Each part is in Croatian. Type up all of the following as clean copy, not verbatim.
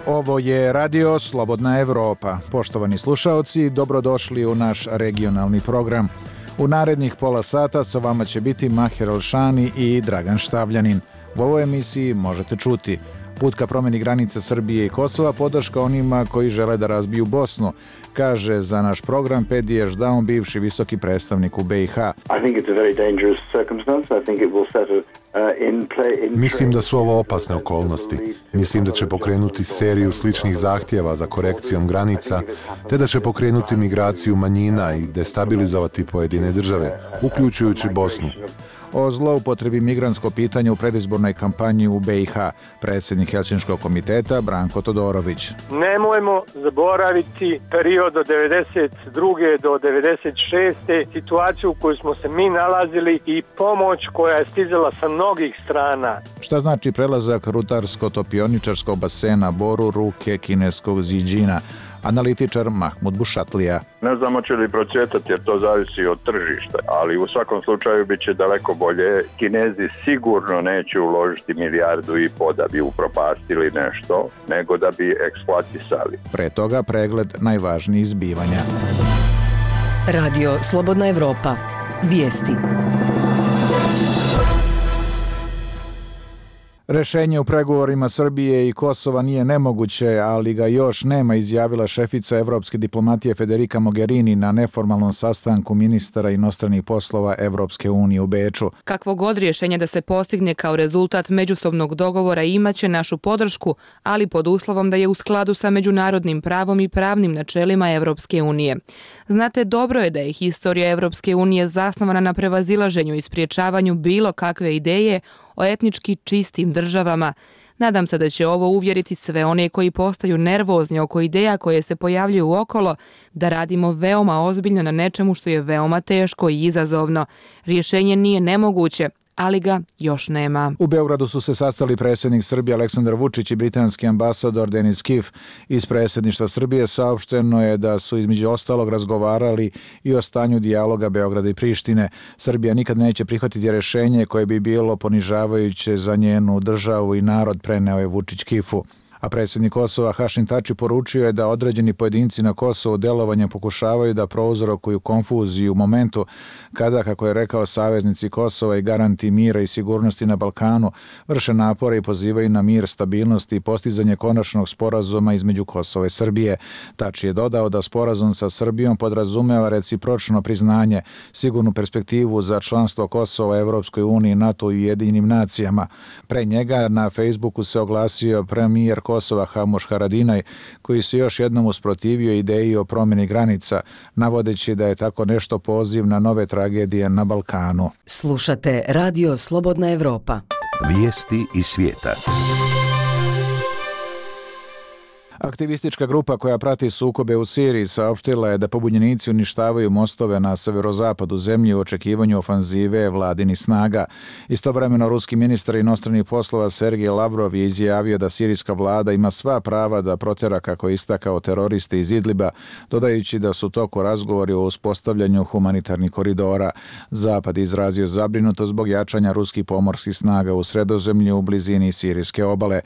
Ovo je Radio Slobodna Evropa. Poštovani slušaoci, dobrodošli u naš regionalni program. U narednih pola sata sa vama će biti Maher Elšani i Dragan Štavljanin. U ovoj emisiji možete čuti: put ka promjeni granica Srbije i Kosova, podrška onima koji žele da razbiju Bosnu, kaže za naš program Pedi Ešdaun, bivši visoki predstavnik u BiH. Mislim da su ovo opasne okolnosti. Mislim da će pokrenuti seriju sličnih zahtjeva za korekcijom granica, te da će pokrenuti migraciju manjina i destabilizovati pojedine države, uključujući Bosnu. O zloupotrebi migrantsko pitanje u predizbornoj kampanji u BiH, predsjednik Helsinškog komiteta Branko Todorović. Nemojmo zaboraviti period od 92. do 96. situaciju u kojoj smo se mi nalazili i pomoć koja je stizala sa mnogih strana. Šta znači prelazak rutarsko-topioničarskog basena Boru ruke kineskog Ziđina? Analitičar Mahmud Bušatlija. Ne znam hoće li procvjetati jer to zavisi od tržišta, ali u svakom slučaju bit će daleko bolje. Kinezi sigurno neće uložiti 1,5 milijardu da bi upropastili nešto, nego da bi eksploatisali. Pre toga pregled najvažnijih zbivanja. Radio Slobodna Evropa. Vijesti. Rešenje u pregovorima Srbije i Kosova nije nemoguće, ali ga još nema, izjavila šefica evropske diplomatije Federica Mogherini na neformalnom sastanku ministara inostranih poslova Evropske unije u Beču. Kakvo god rješenje da se postigne kao rezultat međusobnog dogovora imaće našu podršku, ali pod uslovom da je u skladu sa međunarodnim pravom i pravnim načelima Evropske unije. Znate, dobro je da je historija Evropske unije zasnovana na prevazilaženju i spriječavanju bilo kakve ideje o etnički čistim državama. Nadam se da će ovo uvjeriti sve one koji postaju nervozni oko ideja koje se pojavljuju okolo, da radimo veoma ozbiljno na nečemu što je veoma teško i izazovno. Rješenje nije nemoguće, ali ga još nema. U Beogradu su se sastali predsjednik Srbije Aleksandar Vučić i britanski ambasador Denis Kif. Iz predsjedništva Srbije saopšteno je da su između ostalog razgovarali i o stanju dijaloga Beograda i Prištine. Srbija nikad neće prihvatiti rješenje koje bi bilo ponižavajuće za njenu državu i narod, preneo je Vučić Kifu. A predsjednik Kosova Hašim Tači poručio je da određeni pojedinci na Kosovu delovanjem pokušavaju da prouzrokuju konfuziju u momentu kada, kako je rekao, saveznici Kosova i garanti mira i sigurnosti na Balkanu vrše napore i pozivaju na mir, stabilnost i postizanje konačnog sporazuma između Kosova i Srbije. Tači je dodao da sporazum sa Srbijom podrazumeva recipročno priznanje, sigurnu perspektivu za članstvo Kosova Evropskoj uniji, NATO i Ujedinjenim nacijama. Pre njega na Facebooku se oglasio premijer Kosova Hamuš Haradinaj, koji se još jednom usprotivio ideji o promjeni granica, navodeći da je tako nešto poziv na nove tragedije na Balkanu. Slušate Radio Slobodna Evropa. Vijesti iz svijeta. Aktivistička grupa koja prati sukobe u Siriji saopštila je da pobunjenici uništavaju mostove na severozapadu zemlje u očekivanju ofanzive vladinih snaga. Istovremeno, ruski ministar inostranih poslova Sergej Lavrov je izjavio da sirijska vlada ima sva prava da protera, kako je istakao, teroriste iz Idliba, dodajući da su u toku razgovori o uspostavljanju humanitarnih koridora. Zapad je izrazio zabrinutost zbog jačanja ruskih pomorskih snaga u Sredozemlju u blizini sirijske obale.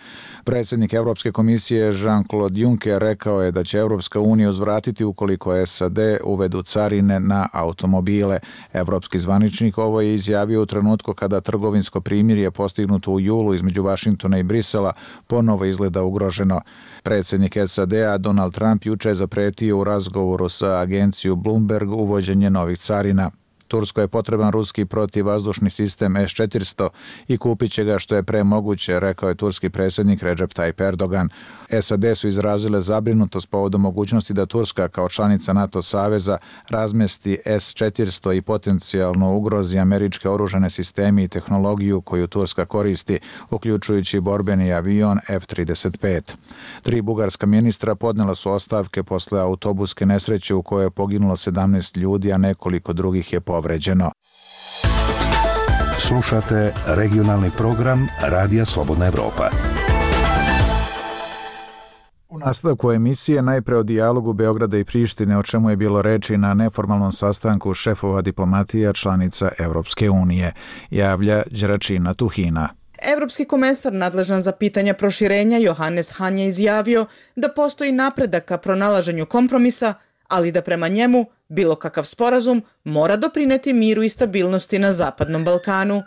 Predsjednik Evropske komisije Jean-Claude Juncker rekao je da će Evropska unija uzvratiti ukoliko SAD uvedu carine na automobile. Evropski zvaničnik ovo je izjavio u trenutku kada trgovinsko primirje postignuto u julu između Vašingtona i Brisela ponovo izgleda ugroženo. Predsjednik SAD-a Donald Trump juče je zapretio u razgovoru sa agencijom Bloomberg uvođenje novih carina. Turskoj je potreban ruski protivvazdušni sistem S-400 i kupit će ga što je pre moguće, rekao je turski predsjednik Recep Tayyip Erdogan. SAD su izrazile zabrinutost povodom mogućnosti da Turska kao članica NATO saveza razmesti S-400 i potencijalno ugrozi američke oružane sisteme i tehnologiju koju Turska koristi, uključujući borbeni avion F-35. 3 bugarska ministra podnela su ostavke posle autobuske nesreće u kojoj je poginulo 17 ljudi, a nekoliko drugih je povređeno. Slušate regionalni program Radija Slobodna Evropa. U nastavku emisije najpre o dijalogu Beograda i Prištine, o čemu je bilo reči na neformalnom sastanku šefova diplomatija članica Evropske unije, javlja Đeračina Tuhina. Evropski komesar nadležan za pitanja proširenja Johannes Hahn je izjavio da postoji napredak ka pronalaženju kompromisa, ali da prema njemu bilo kakav sporazum mora doprineti miru i stabilnosti na Zapadnom Balkanu.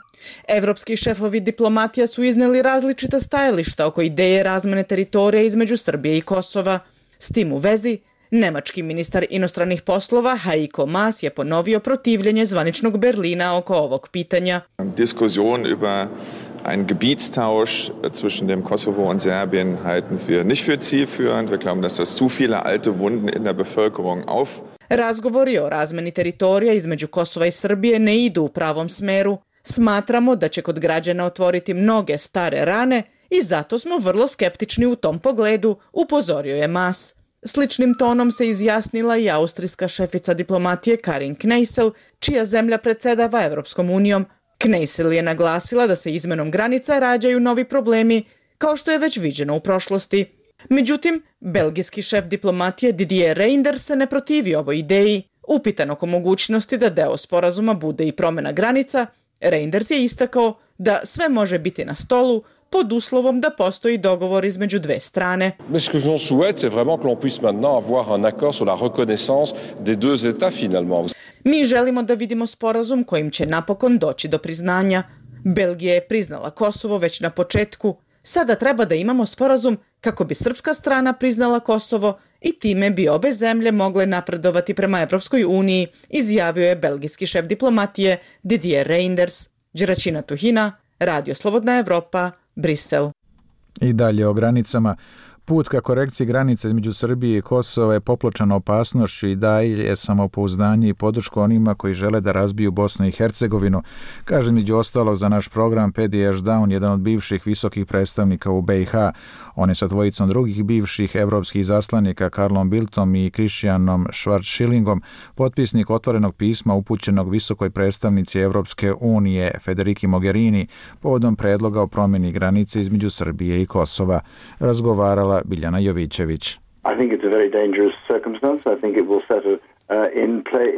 Evropski šefovi diplomatija su izneli različita stajališta oko ideje razmene teritorija između Srbije i Kosova. S tim u vezi, nemački ministar inostranih poslova Heiko Maas je ponovio protivljenje zvaničnog Berlina oko ovog pitanja. Diskussion über einen Gebietstausch zwischen dem Kosovo und Serbien halten wir nicht für zielführend. Wir glauben, dass das zu viele alte Wunden in der Bevölkerung auf. Razgovori o razmeni teritorija između Kosova i Srbije ne idu u pravom smeru. Smatramo da će kod građana otvoriti mnoge stare rane i zato smo vrlo skeptični u tom pogledu, upozorio je Maas. Sličnim tonom se izjasnila i austrijska šefica diplomatije Karin Kneissel, čija zemlja predsjedava Evropskom unijom. Kneissel je naglasila da se izmenom granica rađaju novi problemi, kao što je već viđeno u prošlosti. Međutim, belgijski šef diplomatije Didier Reynders se ne protivi ovoj ideji. Upitan oko mogućnosti da deo sporazuma bude i promjena granica, Reynders je istakao da sve može biti na stolu pod uslovom da postoji dogovor između dve strane. Ce que l'on souhaite, c'est vraiment que l'on puisse maintenant avoir un accord sur la reconnaissance des deux États finalement. Mi želimo da vidimo sporazum kojim će napokon doći do priznanja. Belgija je priznala Kosovo već na početku. Sada treba da imamo sporazum kako bi srpska strana priznala Kosovo i time bi obe zemlje mogle napredovati prema Evropskoj uniji, izjavio je belgijski šef diplomatije Didier Reynders. Đeračina Tuhina, Radio Slobodna Evropa, Brisel. I dalje o granicama. Put ka korekciji granica između Srbije i Kosova je popločan opasnošću i daje samopouzdanje i podršku onima koji žele da razbiju Bosnu i Hercegovinu, kaže među ostalog za naš program Pedi Ešdaun, jedan od bivših visokih predstavnika u BiH. On je sa dvojicom drugih bivših evropskih zaslanika Karlom Bildtom i Kristijanom Schwarzschillingom potpisnik otvorenog pisma upućenog visokoj predstavnici Evropske unije Federiki Mogherini povodom predloga o promjeni granice između Srbije i Kosova. Razgovarala Biljana Jovićević.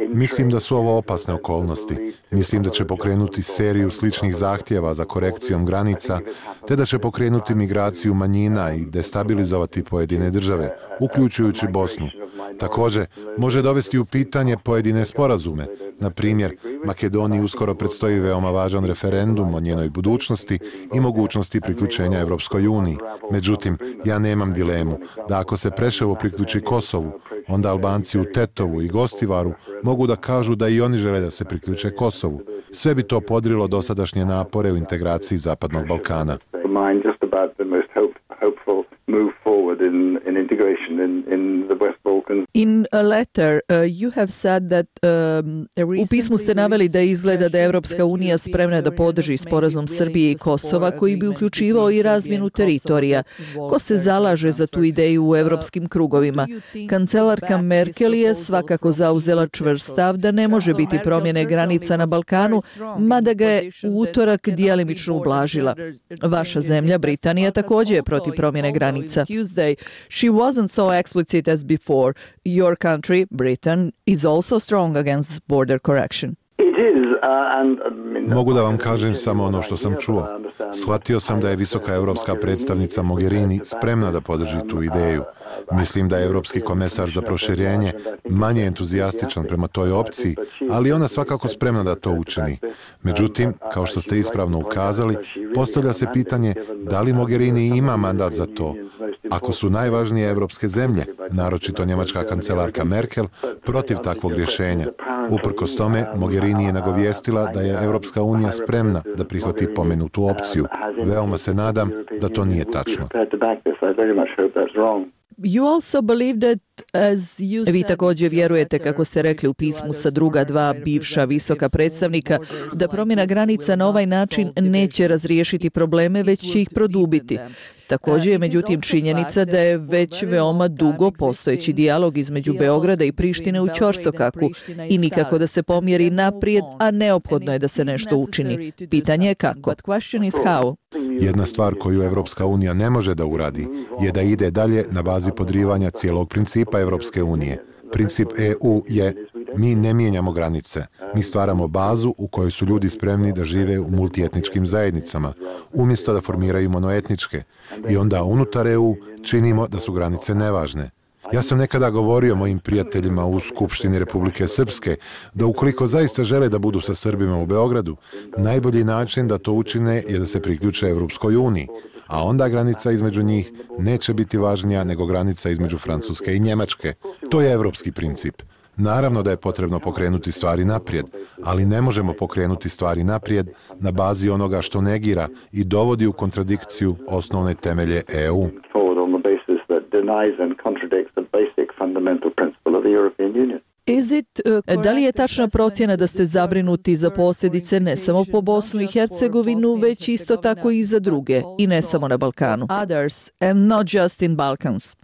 Mislim da su ovo opasne okolnosti. Mislim da će pokrenuti seriju sličnih zahtjeva za korekcijom granica, te da će pokrenuti migraciju manjina i destabilizovati pojedine države, uključujući Bosnu. Također, može dovesti u pitanje pojedine sporazume. Na primjer, Makedoniji uskoro predstoji veoma važan referendum o njenoj budućnosti i mogućnosti priključenja Evropskoj uniji. Međutim, ja nemam dilemu da ako se Preševo priključi Kosovu, onda Albanci u Tetovu i Gostivaru mogu da kažu da i oni žele da se priključe Kosovu. Sve bi to podrilo dosadašnje napore u integraciji Zapadnog Balkana. U pismu ste naveli da izgleda da je Evropska unija spremna da podrži sporazum Srbije i Kosova koji bi uključivao i razmjenu teritorija. Ko se zalaže za tu ideju u evropskim krugovima? Kancelarka Merkel je svakako zauzela čvrst stav da ne može biti promjene granica na Balkanu, mada ga je u utorak djelimično ublažila. Vaša zemlja, Britanija, također je protiv promjene granica. She wasn't so explicit as before. Your country, Britain, is also strong against border correction. Mogu da vam kažem samo ono što sam čuo. Shvatio sam da je visoka evropska predstavnica Mogherini spremna da podrži tu ideju. Mislim da je evropski komesar za proširenje manje entuzijastičan prema toj opciji, ali ona svakako spremna da to učini. Međutim, kao što ste ispravno ukazali, postavlja se pitanje da li Mogherini ima mandat za to. Ako su najvažnije evropske zemlje, naročito njemačka kancelarka Merkel, protiv takvog rješenja. Uprkos tome, Mogherini je nagovijestila da je Evropska unija spremna da prihvati pomenutu opciju. Veoma se nadam da to nije tačno. Vi također vjerujete, kako ste rekli u pismu sa druga dva bivša visoka predstavnika, da promjena granica na ovaj način neće razriješiti probleme, već će ih produbiti. Također je međutim činjenica da je već veoma dugo postojeći dijalog između Beograda i Prištine u ćorsokaku i nikako da se pomjeri naprijed, a neophodno je da se nešto učini. Pitanje je kako. Jedna stvar koju Evropska unija ne može da uradi je da ide dalje na bazi podrivanja cijelog principa Evropske unije. Princip EU je: mi ne mijenjamo granice, mi stvaramo bazu u kojoj su ljudi spremni da žive u multietničkim zajednicama, umjesto da formiraju monoetničke, i onda unutar EU činimo da su granice nevažne. Ja sam nekada govorio mojim prijateljima u Skupštini Republike Srpske da ukoliko zaista žele da budu sa Srbima u Beogradu, najbolji način da to učine je da se priključe Evropskoj uniji, a onda granica između njih neće biti važnija nego granica između Francuske i Njemačke. To je evropski princip. Naravno da je potrebno pokrenuti stvari naprijed, ali ne možemo pokrenuti stvari naprijed na bazi onoga što negira i dovodi u kontradikciju osnovne temelje EU. Da li je tačna procjena da ste zabrinuti za posljedice ne samo po Bosnu i Hercegovinu, već isto tako i za druge, i ne samo na Balkanu? Others, and not just in Balkans.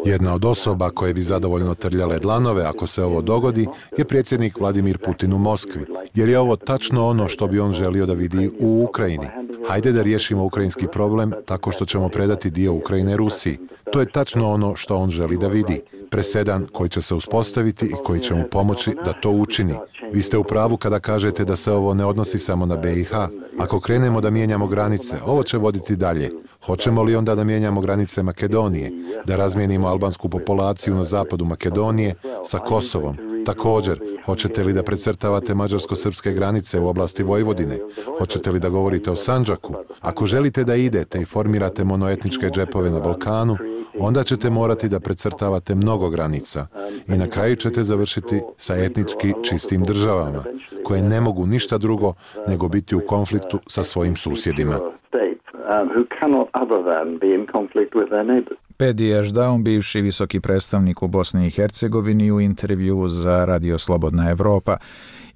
Jedna od osoba koje bi zadovoljno trljale dlanove ako se ovo dogodi je predsjednik Vladimir Putin u Moskvi, jer je ovo tačno ono što bi on želio da vidi u Ukrajini. Hajde da riješimo ukrajinski problem tako što ćemo predati dio Ukrajine Rusiji. To je tačno ono što on želi da vidi. Presedan koji će se uspostaviti i koji će mu pomoći da to učini. Vi ste u pravu kada kažete da se ovo ne odnosi samo na BiH. Ako krenemo da mijenjamo granice, ovo će voditi dalje. Hoćemo li onda da mijenjamo granice Makedonije, da razmijenimo albansku populaciju na zapadu Makedonije sa Kosovom? Također, hoćete li da precrtavate mađarsko-srpske granice u oblasti Vojvodine? Hoćete li da govorite o Sandžaku? Ako želite da idete i formirate monoetničke džepove na Balkanu, onda ćete morati da precrtavate mnogo granica i na kraju ćete završiti sa etnički čistim državama, koje ne mogu ništa drugo nego biti u konfliktu sa svojim susjedima. Pedi Ešdaun, bivši visoki predstavnik u Bosni i Hercegovini, u intervjuu za Radio Slobodna Evropa.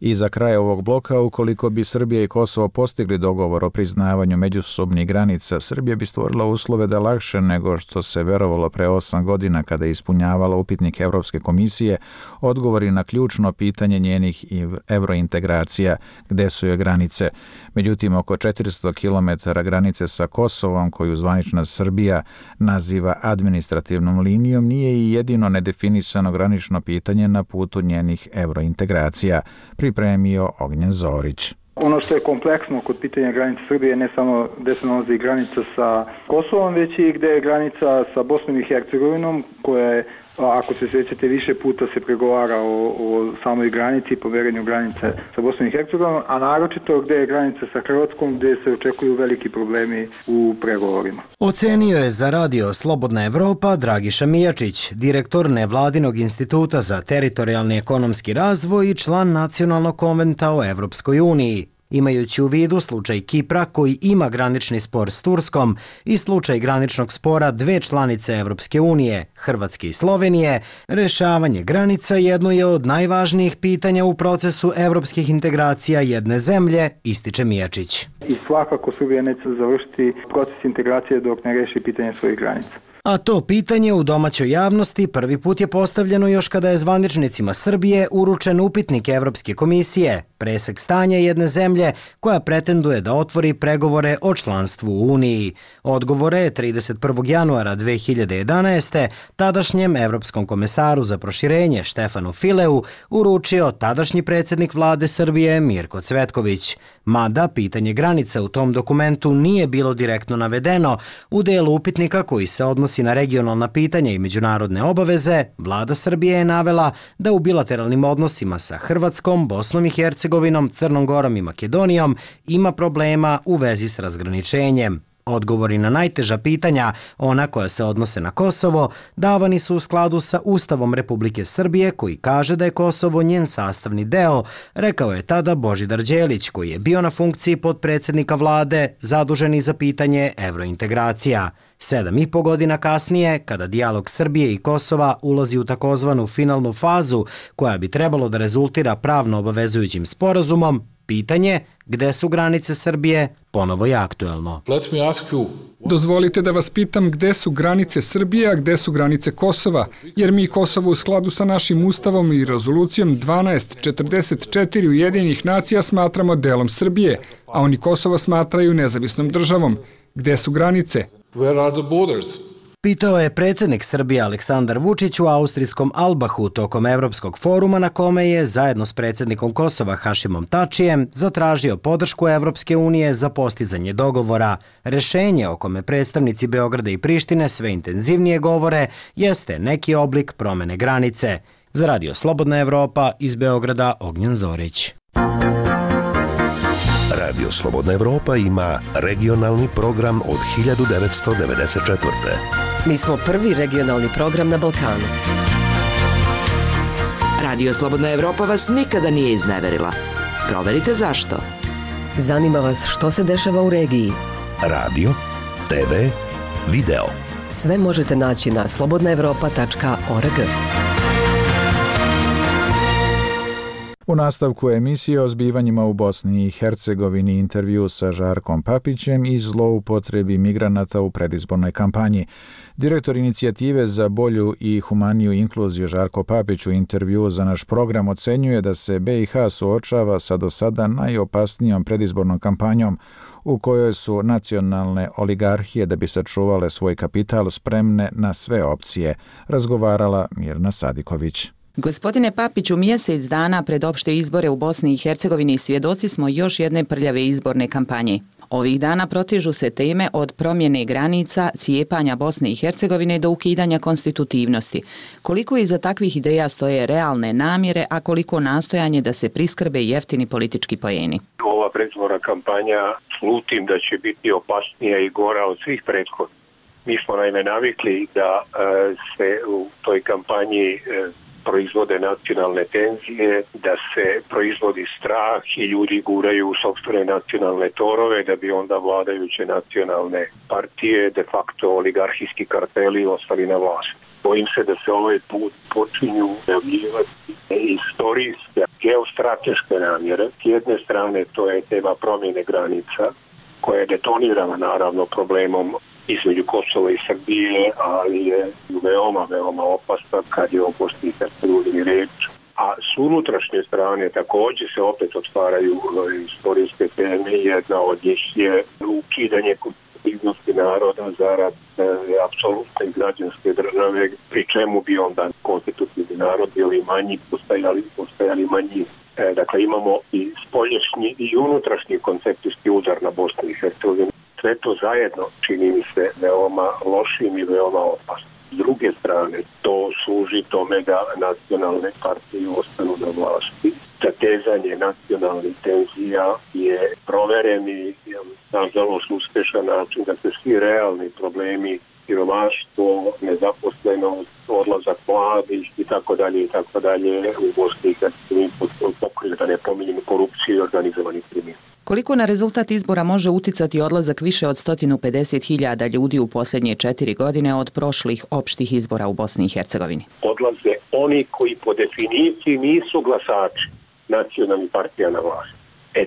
I za kraj ovog bloka, ukoliko bi Srbija i Kosovo postigli dogovor o priznavanju međusobnih granica, Srbija bi stvorila uslove da lakše nego što se verovalo pre 8 godina kada je ispunjavala upitnik Evropske komisije odgovori na ključno pitanje njenih evrointegracija, gde su joj granice. Međutim, oko 400 km granice sa Kosovom, koju zvanična Srbija naziva administrativnom linijom, nije i jedino nedefinisano granično pitanje na putu njenih evrointegracija, pripremio Ognjen Zorić. Ono što je kompleksno kod pitanja granice Srbije ne samo gde se nalazi granica sa Kosovom, već i gde je granica sa Bosnom i Hercegovinom, koja je, ako se sjećate, više puta se pregovara o samoj granici, poverenju granice sa Bosnom i Hercegovinom, a naročito gde je granica sa Hrvatskom, gde se očekuju veliki problemi u pregovorima. Ocenio je za Radio Slobodna Evropa Dragiša Mijačić, direktor Nevladinog instituta za teritorijalni ekonomski razvoj i član Nacionalnog konventa o Evropskoj uniji. Imajući u vidu slučaj Kipra koji ima granični spor s Turskom i slučaj graničnog spora dve članice Evropske unije, Hrvatske i Slovenije, rešavanje granica jedno je od najvažnijih pitanja u procesu evropskih integracija jedne zemlje, ističe Mijačić. I svakako Srbija neće završiti proces integracije dok ne reši pitanje svojih granica. A to pitanje u domaćoj javnosti prvi put je postavljeno još kada je zvaničnicima Srbije uručen upitnik Evropske komisije, presek stanja jedne zemlje koja pretenduje da otvori pregovore o članstvu u Uniji. Odgovore je 31. januara 2011. tadašnjem Evropskom komesaru za proširenje Štefanu Fileu uručio tadašnji predsjednik vlade Srbije Mirko Cvetković. Mada pitanje granica u tom dokumentu nije bilo direktno navedeno, u delu upitnika koji se odnosi na regionalna pitanja i međunarodne obaveze, vlada Srbije je navela da u bilateralnim odnosima sa Hrvatskom, Bosnom i Hercegovinom, Crnom Gorom i Makedonijom ima problema u vezi s razgraničenjem. Odgovori na najteža pitanja, ona koja se odnose na Kosovo, davani su u skladu sa Ustavom Republike Srbije koji kaže da je Kosovo njen sastavni deo, rekao je tada Božidar Đelić koji je bio na funkciji potpredsjednika vlade zaduženi za pitanje evrointegracija. 7,5 godina kasnije, kada dijalog Srbije i Kosova ulazi u takozvanu finalnu fazu koja bi trebalo da rezultira pravno obavezujućim sporazumom, Pitanje gde su granice Srbije ponovo je aktuelno. Dozvolite da vas pitam gde su granice Srbije, a gde su granice Kosova, jer mi Kosovo u skladu sa našim ustavom i rezolucijom 1244 Ujedinjenih nacija smatramo delom Srbije, a oni Kosovo smatraju nezavisnom državom. Gde su granice? Pitao je predsjednik Srbije Aleksandar Vučić u austrijskom Albahu tokom Evropskog foruma na kome je, zajedno s predsjednikom Kosova Hašimom Tačijem, zatražio podršku Evropske unije za postizanje dogovora. Rešenje o kome predstavnici Beograda i Prištine sve intenzivnije govore jeste neki oblik promene granice. Za Radio Slobodna Evropa iz Beograda Ognjen Zorić. Radio Slobodna Evropa ima regionalni program od 1994. Mi smo prvi regionalni program na Balkanu. Radio Slobodna Evropa vas nikada nije izneverila. Proverite zašto. Zanima vas što se dešava u regiji. Radio, TV, video. Sve možete naći na slobodnaevropa.org. U nastavku emisije o zbivanjima u Bosni i Hercegovini intervju sa Žarkom Papićem i zloupotrebi migranata u predizbornoj kampanji. Direktor inicijative za bolju i humaniju inkluziju Žarko Papić u intervju za naš program ocenjuje da se BiH suočava sa do sada najopasnijom predizbornom kampanjom u kojoj su nacionalne oligarhije da bi sačuvale svoj kapital spremne na sve opcije, razgovarala Mirna Sadiković. Gospodine Papiću, mjesec dana pred opšte izbore u Bosni i Hercegovini svjedoci smo još jedne prljave izborne kampanje. Ovih dana protežu se teme od promjene granica, cijepanja Bosne i Hercegovine do ukidanja konstitutivnosti. Koliko iza takvih ideja stoje realne namjere, a koliko nastojanje da se priskrbe jeftini politički poeni? Ova predizborna kampanja slutim da će biti opasnija i gora od svih prethodnih. Mi smo naime navikli da se u toj kampanji proizvode nacionalne tenzije, da se proizvodi strah i ljudi guraju u sopstvene nacionalne torove da bi onda vladajuće nacionalne partije, de facto oligarhijski karteli, ostali na vlasti. Bojim se da se ovaj put počinju javljivati istorijske, geostrateške namjere. S jedne strane to je tema promjene granica, koja je detonirana naravno problemom između Kosova i Srbije, ali je veoma opasna kad je o Bosni i Hercegovini reč. A s unutrašnje strane također se opet otvaraju istorijske teme. Jedna od njih je ukidanje konstitutivnosti naroda zarad apsolutne građanske države, pri čemu bi onda konstitutivni narod bili manji, postajali manji. Dakle, imamo i spoljašnji i unutrašnji koncepcijski udar na Bosnu i Hercegovinu. Sve to zajedno čini mi se veoma lošim i veoma opasnim. S druge strane, to služi tome da nacionalne partije ostanu na vlasti. Zatezanje nacionalnih tenzija je provereni, nažalost uspješan način da se svi realni problemi, siromaštvo, nezaposlenost, odlazak mladih i tako dalje u Bosni i Hercegovini pokriju, da ne pominjemo korupciju i organizovani kriminal. Koliko na rezultat izbora može uticati odlazak više od 150.000 ljudi u posljednje 4 godine od prošlih opštih izbora u Bosni i Hercegovini? Odlaze oni koji po definiciji nisu glasači nacionalnih partija na vlasti.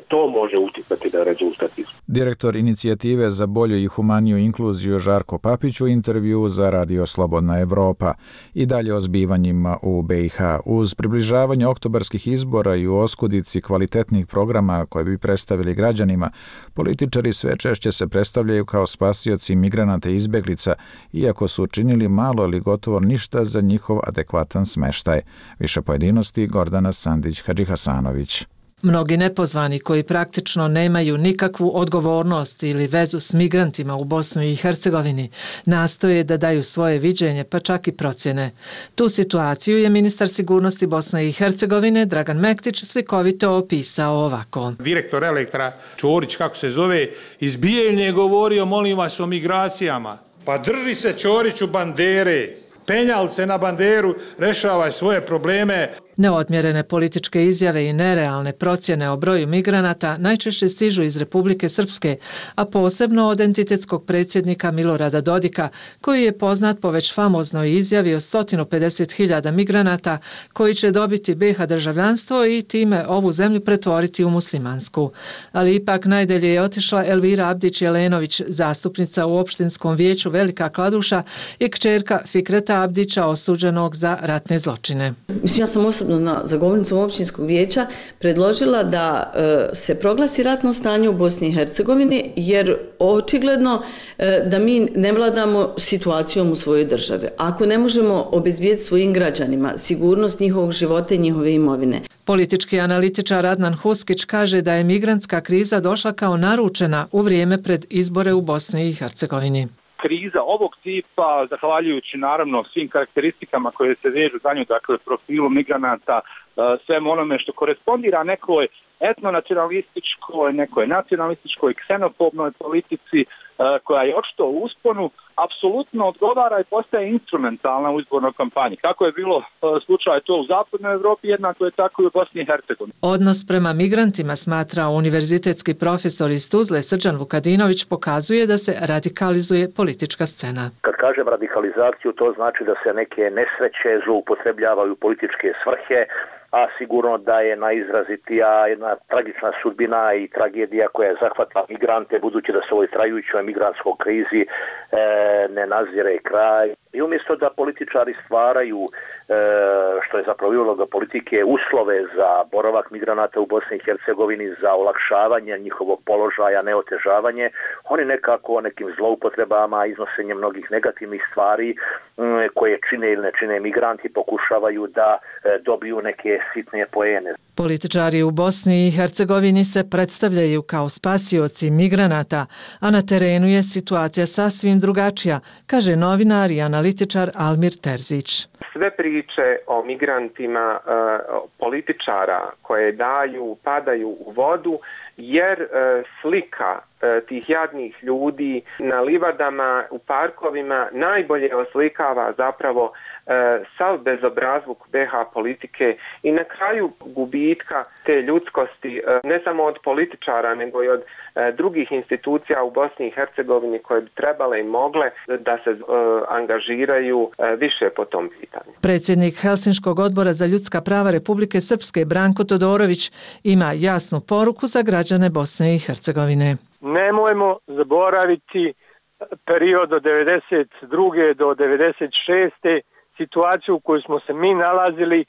To može uticati na rezultat izbora. Direktor inicijative za bolju i humaniju inkluziju Žarko Papić u intervju za Radio Slobodna Evropa. I dalje o zbivanjima u BiH. Uz približavanje oktobarskih izbora i u oskudici kvalitetnih programa koje bi predstavili građanima, političari sve češće se predstavljaju kao spasioci migranata i izbeglica, iako su učinili malo ili gotovo ništa za njihov adekvatan smeštaj. Više pojedinosti Gordana Sandić-Hadžihasanović. Mnogi nepozvani koji praktično nemaju nikakvu odgovornost ili vezu s migrantima u Bosni i Hercegovini nastoje da daju svoje viđenje, pa čak i procjene. Tu situaciju je ministar sigurnosti Bosne i Hercegovine Dragan Mektić slikovito opisao ovako. Direktor Elektra Čorić, kako se zove, iz Bijeljne je govorio, molim vas, o migracijama. Pa drži se Čoriću bandere, penjal se na banderu, rešavaj svoje probleme. Neodmjerene političke izjave i nerealne procjene o broju migranata najčešće stižu iz Republike Srpske, a posebno od entitetskog predsjednika Milorada Dodika, koji je poznat po već famoznoj izjavi o 150.000 migranata koji će dobiti BiH državljanstvo i time ovu zemlju pretvoriti u muslimansku. Ali ipak najdelje je otišla Elvira Abdić-Jelenović, zastupnica u opštinskom vijeću Velika Kladuša i kćerka Fikreta Abdića osuđenog za ratne zločine. Mislim, ja sam osobno za govornicom općinskog vijeća predložila da se proglasi ratno stanje u Bosni i Hercegovini, jer očigledno da mi ne vladamo situacijom u svojoj državi. Ako ne možemo obezbijeti svojim građanima sigurnost njihovog života i njihove imovine. Politički analitičar Adnan Huskić kaže da je migrantska kriza došla kao naručena u vrijeme pred izbore u Bosni i Hercegovini. Kriza ovog tipa, zahvaljujući naravno svim karakteristikama koje se vežu za nju, dakle profilu migranata, svem onome što korespondira nekoj etnonacionalističkoj, nekoj nacionalističkoj, ksenofobnoj politici koja je očito u usponu, apsolutno odgovara i postaje instrumentalna u izbornoj kampanji. Kako je bilo slučaj to u zapadnoj Evropi, jednako je tako i u Bosni i Hercegovini. Odnos prema migrantima, smatra univerzitetski profesor iz Tuzle Srđan Vukadinović, pokazuje da se radikalizuje politička scena. Kad kažem radikalizaciju, to znači da se neke nesreće zloupotrebljavaju političke svrhe, a sigurno da je najizrazitija jedna tragična sudbina i tragedija koja je zahvatila migrante, budući da se ovoj trajućoj migrantskoj krizi ne nazire kraj. I umjesto da političari stvaraju, što je zapravo uloga politike, uslove za boravak migranata u Bosni i Hercegovini, za olakšavanje njihovog položaja, ne otežavanje, oni nekako nekim zloupotrebama, iznosenjem mnogih negativnih stvari koje čine ili ne čine migranti, pokušavaju da dobiju neke sitne poene. Političari u Bosni i Hercegovini se predstavljaju kao spasioci migranata, a na terenu je situacija sasvim drugačija, kaže novinar i analitičar Almir Terzić. Sve priče o migrantima političara koje padaju u vodu, jer slika tih jadnih ljudi na livadama, u parkovima najbolje oslikava zapravo sav bezobrazluk BiH politike i na kraju gubitka te ljudskosti, ne samo od političara, nego i od drugih institucija u Bosni i Hercegovini koje bi trebale i mogle da se angažiraju više po tom pitanju. Predsjednik Helsinškog odbora za ljudska prava Republike Srpske Branko Todorović ima jasnu poruku za građane Bosne i Hercegovine. Nemojmo zaboraviti period od 92. do 96. situaciju u kojoj smo se mi nalazili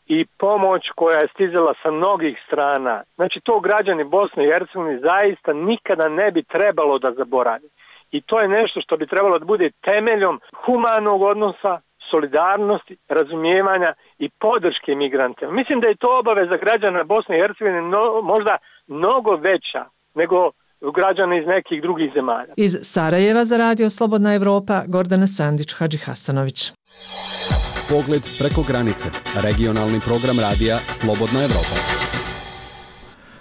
i pomoć koja je stizala sa mnogih strana. Znači to građani Bosne i Hercegovine zaista nikada ne bi trebalo da zaboravi. I to je nešto što bi trebalo da bude temeljom humanog odnosa, solidarnosti, razumijevanja i podrške migrantima. Mislim da je to obaveza građana Bosne i Hercegovine možda mnogo veća nego građana iz nekih drugih zemalja. Iz Sarajeva za Radio Slobodna Evropa, Gordana Sandić, Hadži Hasanović. Pogled preko granice. Regionalni program radija Slobodna Evropa.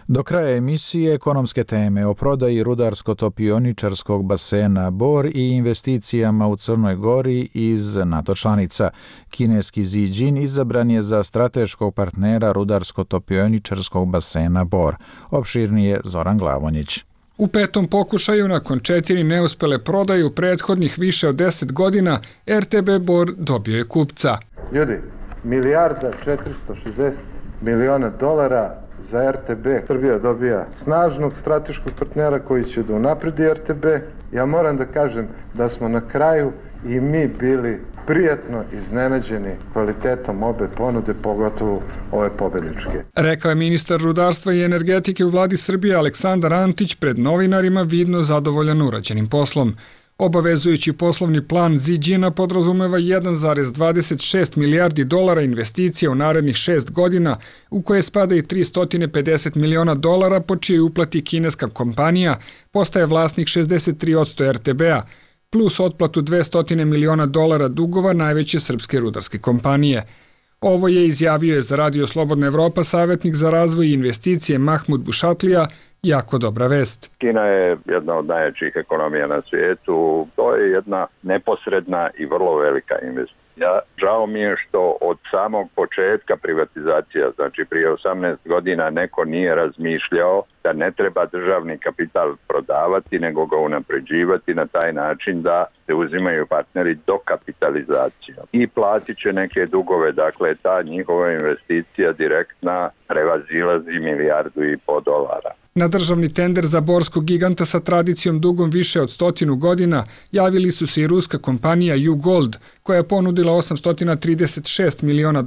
Do kraja emisije ekonomske teme o prodaji rudarsko-topioničarskog basena Bor i investicijama u Crnoj Gori iz NATO članica. Kineski Ziđin izabran je za strateškog partnera rudarsko-topioničarskog basena Bor. Opširnije Zoran Glavonjić. U petom pokušaju, nakon 4 neuspele prodaje u prethodnih više od 10 godina, RTB Bor dobio je kupca. Ljudi, $1.460 miliona za RTB. Srbija dobija snažnog strateškog partnera koji će da unapredi RTB. Ja moram da kažem da smo na kraju i mi bili prijatno iznenađeni kvalitetom obe ponude, pogotovo ove pobedničke. Rekao je ministar rudarstva i energetike u vladi Srbije Aleksandar Antić pred novinarima, vidno zadovoljan urađenim poslom. Obavezujući poslovni plan Ziđina podrazumeva $1,26 milijardi investicija u narednih 6 godina, u koje spada i $350 miliona, po čijoj uplati kineska kompanija postaje vlasnik 63% RTB-a, plus otplatu $200 miliona dugova najveće srpske rudarske kompanije. Ovo je izjavio za Radio Slobodna Evropa savjetnik za razvoj i investicije Mahmud Bušatlija. Jako dobra vest. Kina je jedna od najjačih ekonomija na svijetu. To je jedna neposredna i vrlo velika investicija. Žao mi je što od samog početka privatizacija, znači prije 18 godina, neko nije razmišljao da ne treba državni kapital prodavati, nego ga unapređivati na taj način da se uzimaju partneri do kapitalizacijom. I platit će neke dugove, dakle ta njihova investicija direktna prevazilazi $1,5 milijarda. Na državni tender za borskog giganta sa tradicijom dugom više od 100 godina javili su se i ruska kompanija U-Gold, koja je ponudila $836 miliona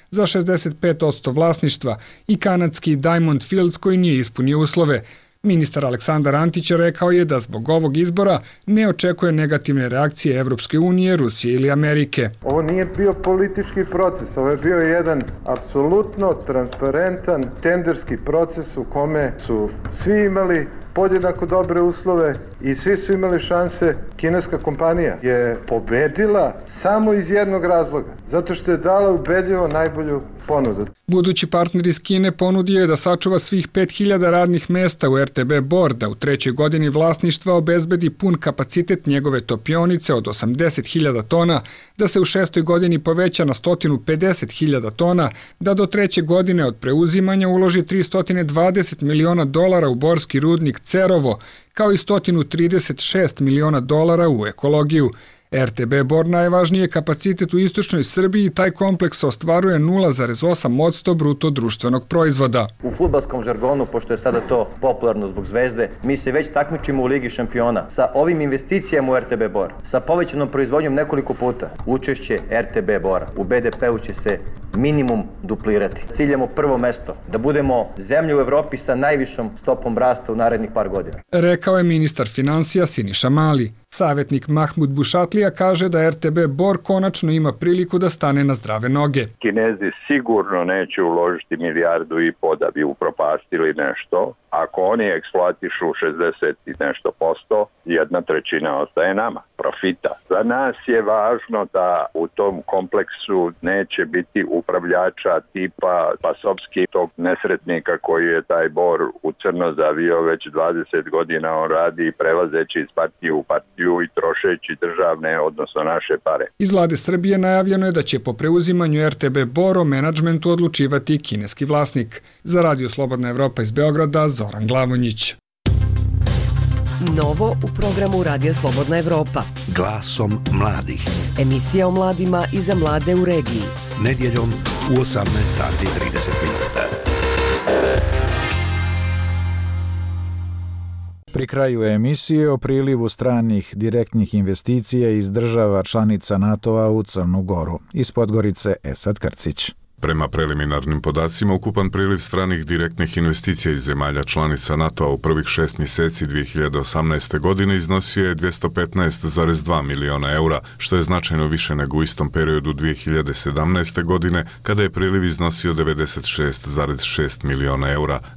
za 65% vlasništva, i kanadski Diamond Fields koji nije ispunio uslove. Ministar Aleksandar Antić rekao je da zbog ovog izbora ne očekuje negativne reakcije Evropske unije, Rusije ili Amerike. Ovo nije bio politički proces, ovo je bio jedan apsolutno transparentan tenderski proces u kome su svi imali podjednako dobre uslove i svi su imali šanse. Kineska kompanija je pobedila samo iz jednog razloga, zato što je dala ubedljivo najbolju ponudu. Budući partner iz Kine ponudio je da sačuva svih 5000 radnih mesta u RTB Bor, da u 3. godini vlasništva obezbedi pun kapacitet njegove topionice od 80.000 tona, da se u 6. godini poveća na 150.000 tona, da do 3. godine od preuzimanja uloži $320 miliona u borski rudnik Cerovo, kao i $136 miliona u ekologiju. RTB Bor najvažniji je kapacitet u istočnoj Srbiji i taj kompleks ostvaruje 0,8% bruto društvenog proizvoda. U fudbalskom žargonu, pošto je sada to popularno zbog Zvezde, mi se već takmičimo u Ligi šampiona. Sa ovim investicijama u RTB Bor, sa povećanom proizvodnjom nekoliko puta, učešće RTB Bora u BDP-u će se minimum duplirati. Ciljamo prvo mesto, da budemo zemlja u Evropi sa najvišom stopom rasta u narednih par godina. Rekao je ministar finansija Siniša Mali. Savjetnik Mahmud Bušatlija kaže da RTB Bor konačno ima priliku da stane na zdrave noge. Kinezi sigurno neće uložiti $1,5 milijarda da bi upropastili nešto. Ako oni eksploatišu 60 i nešto posto, 1/3 ostaje nama, profita. Za nas je važno da u tom kompleksu neće biti upravljača tipa Pasovski, tog nesretnika koji je taj Bor u crno zavio već 20 godina. On radi prelazeći iz partije u partiju i trošeći državne, odnosno naše pare. Iz vlade Srbije najavljeno je da će po preuzimanju RTB Bor o menadžmentu odlučivati kineski vlasnik. Za Radio Slobodna Evropa iz Beograda, Zoran Glavonjić. Novo u programu Radija Slobodna Evropa. Glasom mladih. Emisija o mladima i za mlade u regiji. Nedjeljom u 18:30. Pri kraju emisije o prilivu stranih direktnih investicija iz država članica NATO-a u Crnu Goru. Iz Podgorice Esad Krcić. Prema preliminarnim podacima, ukupan priliv stranih direktnih investicija iz zemalja članica NATO-a u prvih 6 mjeseci 2018. godine iznosio je €215,2 miliona, što je značajno više nego u istom periodu 2017. godine, kada je priliv iznosio €96,6 miliona,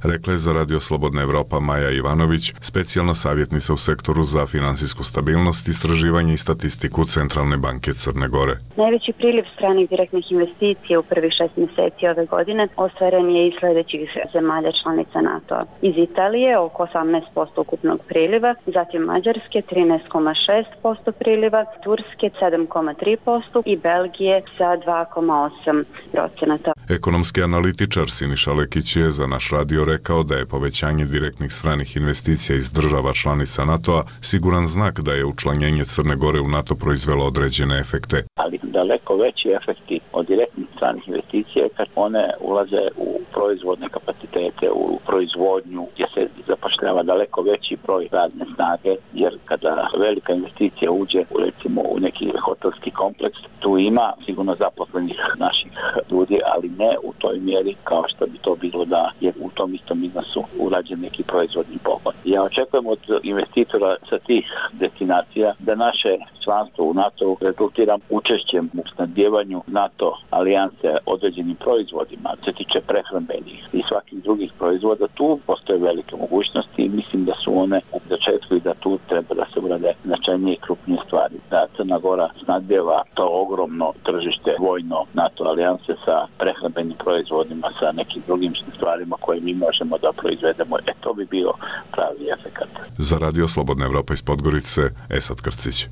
rekla je za Radio Slobodna Evropa Maja Ivanović, specijalna savjetnica u sektoru za finansijsku stabilnost, istraživanje i statistiku Centralne banke Crne Gore. Najveći priliv stranih direktnih investicija u prvih 6 mjeseci ove godine ostvaren je iz sljedećih zemalja članica NATO-a. Iz Italije oko 18% ukupnog priliva, zatim Mađarske 13,6% priliva, Turske 7,3% i Belgije sa 2,8%. Ekonomski analitičar Siniša Lekić je za naš radio rekao da je povećanje direktnih stranih investicija iz država članica NATO-a siguran znak da je učlanjenje Crne Gore u NATO proizvelo određene efekte. Ali daleko veći efekti od direktnih stranih investicija je kad one ulaze u proizvodne kapacitete, u proizvodnju gdje se zapošljava daleko veći broj radne snage, jer kada velika investicija uđe recimo u neki hotelski kompleks, tu ima sigurno zaposlenih naših ljudi, ali ne u toj mjeri kao što bi to bilo da je u tom istom iznosu urađen neki proizvodni pogon. Ja očekujem od investitora sa tih destinacija da naše članstvo u NATO rezultira učešćem u snabdijevanju NATO alijanse određenim proizvodima, se tiče prehrambenih i svakih drugih proizvoda. Tu postoje velike mogućnosti i mislim da su one u začetku i da tu treba da se urade značajnije i krupnije stvari. Da Crna Gora snabdijeva to ogromno tržište vojno NATO alijanse sa prehrambenim proizvodima, sa nekim drugim stvarima koje mi možemo da proizvedemo. To bi bio pravi efekat. Za Radio Slobodna Evropa iz Podgorice, Esad Krcić.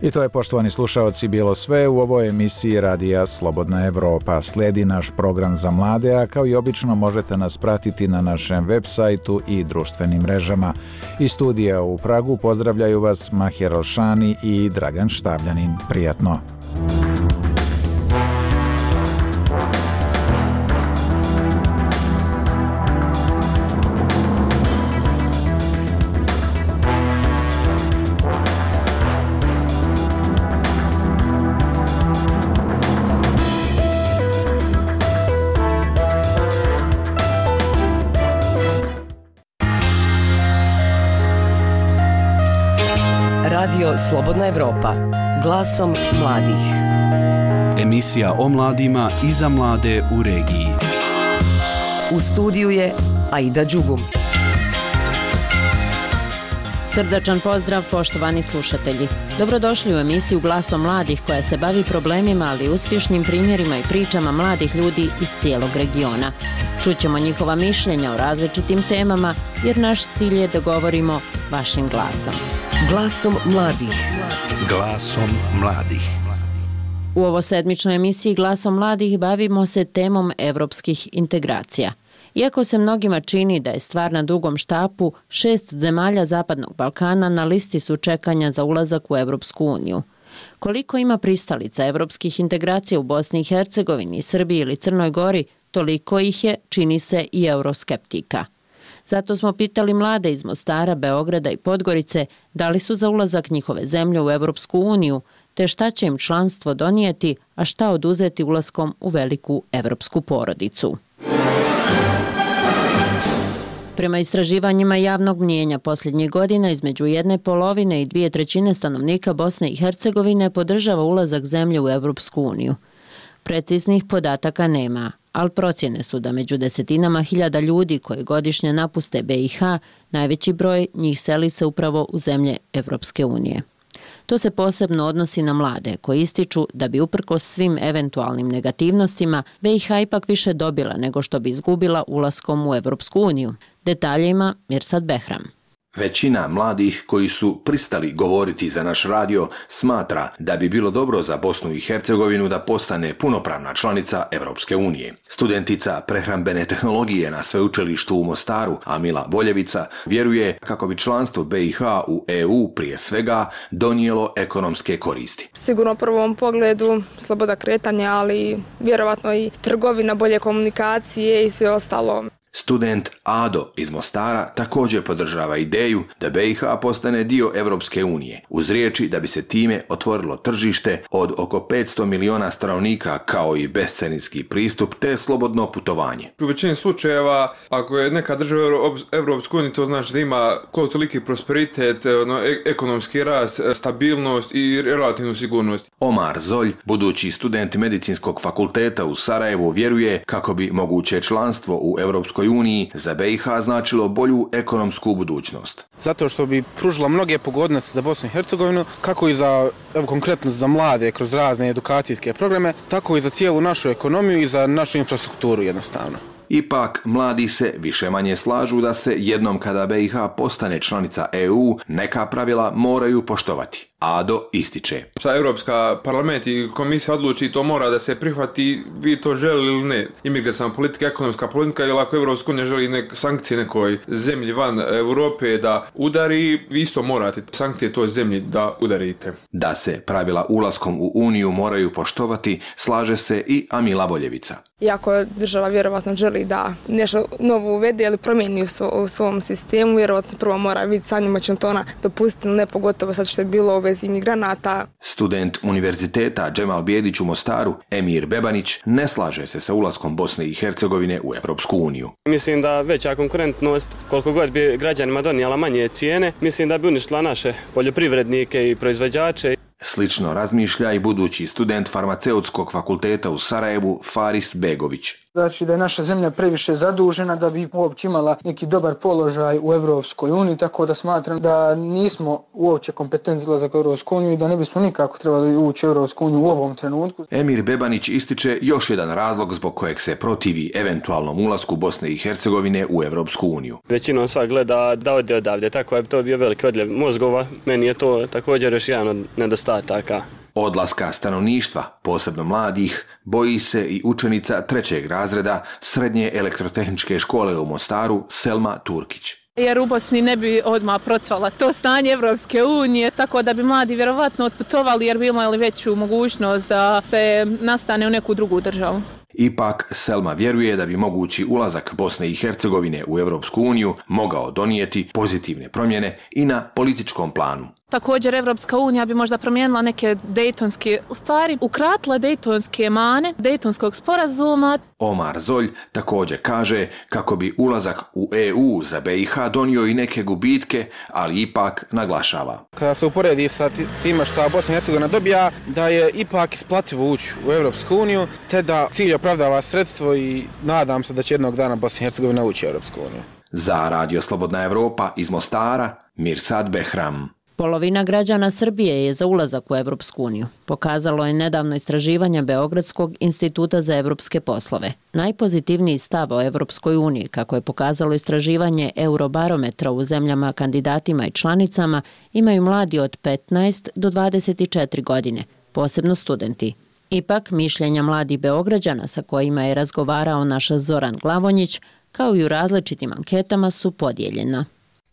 I to je, poštovani slušaoci, bilo sve u ovoj emisiji Radija Slobodna Evropa. Slijedi naš program za mlade, a kao i obično možete nas pratiti na našem web sajtu i društvenim mrežama. Iz studija u Pragu pozdravljaju vas Mahir Alšani i Dragan Štavljanin. Prijatno! Radio Slobodna Evropa, glasom mladih. Emisija o mladima i za mlade u regiji. U studiju je Aida Đugum. Srdačan pozdrav, poštovani slušatelji. Dobrodošli u emisiju Glasom mladih koja se bavi problemima, ali i uspješnim primjerima i pričama mladih ljudi iz cijelog regiona. Čućemo njihova mišljenja o različitim temama, jer naš cilj je da govorimo vašim glasom. Glasom mladih. Glasom mladih. U ovo sedmičnoj emisiji Glasom mladih bavimo se temom evropskih integracija. Iako se mnogima čini da je stvar na dugom štapu, 6 zemalja Zapadnog Balkana na listi su čekanja za ulazak u Evropsku uniju. Koliko ima pristalica evropskih integracija u Bosni i Hercegovini, Srbiji ili Crnoj Gori, toliko ih je, čini se, i euroskeptika. Zato smo pitali mlade iz Mostara, Beograda i Podgorice da li su za ulazak njihove zemlje u Evropsku uniju, te šta će im članstvo donijeti, a šta oduzeti ulaskom u veliku evropsku porodicu. Prema istraživanjima javnog mnijenja posljednjih godina između 1/2 i 2/3 stanovnika Bosne i Hercegovine podržava ulazak zemlje u Evropsku uniju. Preciznih podataka nema, ali procjene su da među desetinama hiljada ljudi koji godišnje napuste BiH, najveći broj njih seli se upravo u zemlje Evropske unije. To se posebno odnosi na mlade koji ističu da bi uprkos svim eventualnim negativnostima BiH ipak više dobila nego što bi izgubila ulaskom u Evropsku uniju. Detalje ima Mirsad Behram. Većina mladih koji su pristali govoriti za naš radio smatra da bi bilo dobro za Bosnu i Hercegovinu da postane punopravna članica Evropske unije. Studentica prehrambene tehnologije na sveučilištu u Mostaru, Amila Voljevica, vjeruje kako bi članstvo BiH u EU prije svega donijelo ekonomske koristi. Sigurno u prvom pogledu sloboda kretanja, ali vjerovatno i trgovina, bolje komunikacije i sve ostalo. Student Ado iz Mostara također podržava ideju da BiH postane dio Evropske unije, uz riječi da bi se time otvorilo tržište od oko 500 miliona stanovnika kao i bescarinski pristup te slobodno putovanje. U većini slučajeva, ako je neka država Evropske unije, to znači da ima toliki prosperitet, ekonomski rast, stabilnost i relativnu sigurnost. Omar Zolj, budući student medicinskog fakulteta u Sarajevu, vjeruje kako bi moguće članstvo u Evropskoj uniji za BiH značilo bolju ekonomsku budućnost. Zato što bi pružilo mnoge pogodnosti za Bosnu i Hercegovinu, kako i za, konkretno za mlade kroz razne edukacijske programe, tako i za cijelu našu ekonomiju i za našu infrastrukturu jednostavno. Ipak, mladi se više manje slažu da se jednom kada BiH postane članica EU, neka pravila moraju poštovati. Ado ističe. Šta Europska parlament i komisija odluči, to mora da se prihvati, vi to želi ili ne. Imigracijska politika, ekonomska politika, ili ako Evropska unija želi sankcije nekoj zemlji van Europe da udari, vi isto morate sankcije toj zemlji da udarite. Da se pravila ulaskom u Uniju moraju poštovati, slaže se i Amila Voljevica. Iako država vjerovatno želi da nešto novo uvede ili promijeni u svom sistemu, vjerovatno prvo mora vidjeti sa njima će to ona dopustiti, ne pogotovo sad što je bilo u vezi imigranata. Student univerziteta Džemal Bijedić u Mostaru, Emir Bebanić, ne slaže se sa ulaskom Bosne i Hercegovine u Evropsku uniju. Mislim da veća konkurentnost, koliko god bi građanima donijela manje cijene, mislim da bi uništila naše poljoprivrednike i proizvođače. Slično razmišlja i budući student farmaceutskog fakulteta u Sarajevu Faris Begović. Znači da je naša zemlja previše zadužena da bi uopće imala neki dobar položaj u Evropskoj uniji, tako da smatram da nismo uopće kompetentni za ulazak u Evropsku uniju i da ne bismo nikako trebali ući u Evropsku uniju u ovom trenutku. Emir Bebanić ističe još jedan razlog zbog kojeg se protivi eventualnom ulasku Bosne i Hercegovine u Evropsku uniju. Većinom sva gleda da ode odavde, tako je to bio veliki odljev mozgova. Meni je to također još jedan od nedostataka. Odlaska stanovništva, posebno mladih, boji se i učenica 3. razreda Srednje elektrotehničke škole u Mostaru Selma Turkić. Jer u Bosni ne bi odmah procvala to stanje Evropske unije, tako da bi mladi vjerovatno otputovali jer bi imali veću mogućnost da se nastane u neku drugu državu. Ipak, Selma vjeruje da bi mogući ulazak Bosne i Hercegovine u Evropsku uniju mogao donijeti pozitivne promjene i na političkom planu. Također, Evropska unija bi možda promijenila neke dejtonske, u stvari ukratila dejtonske mane, dejtonskog sporazuma. Omar Zolj također kaže kako bi ulazak u EU za BiH donio i neke gubitke, ali ipak naglašava. Kada se uporedi sa time što Bosna i Hercegovina dobija, da je ipak isplativo ući u Evropsku uniju, te da cilj opravdava sredstvo i nadam se da će jednog dana Bosna i Hercegovina ući u Evropsku uniju. Za Radio Slobodna Evropa iz Mostara, Mirsad Behram. Polovina građana Srbije je za ulazak u Evropsku uniju. Pokazalo je nedavno istraživanje Beogradskog instituta za evropske poslove. Najpozitivniji stav o Evropskoj uniji, kako je pokazalo istraživanje Eurobarometra u zemljama kandidatima i članicama, imaju mladi od 15 do 24 godine, posebno studenti. Ipak, mišljenja mladih Beograđana sa kojima je razgovarao naš Zoran Glavonjić, kao i u različitim anketama, su podijeljena.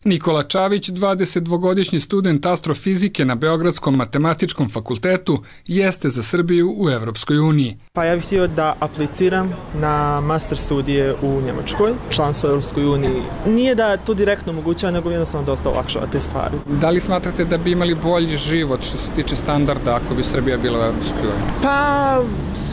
Nikola Čavić, 22-godišnji student astrofizike na Beogradskom matematičkom fakultetu, jeste za Srbiju u Evropskoj uniji. Pa ja bih htio da apliciram na master studije u Njemačkoj, članstvo u Evropskoj uniji. Nije da to direktno omogućava, nego jednostavno dosta olakšava te stvari. Da li smatrate da bi imali bolji život što se tiče standarda ako bi Srbija bila u Evropskoj uniji? Pa,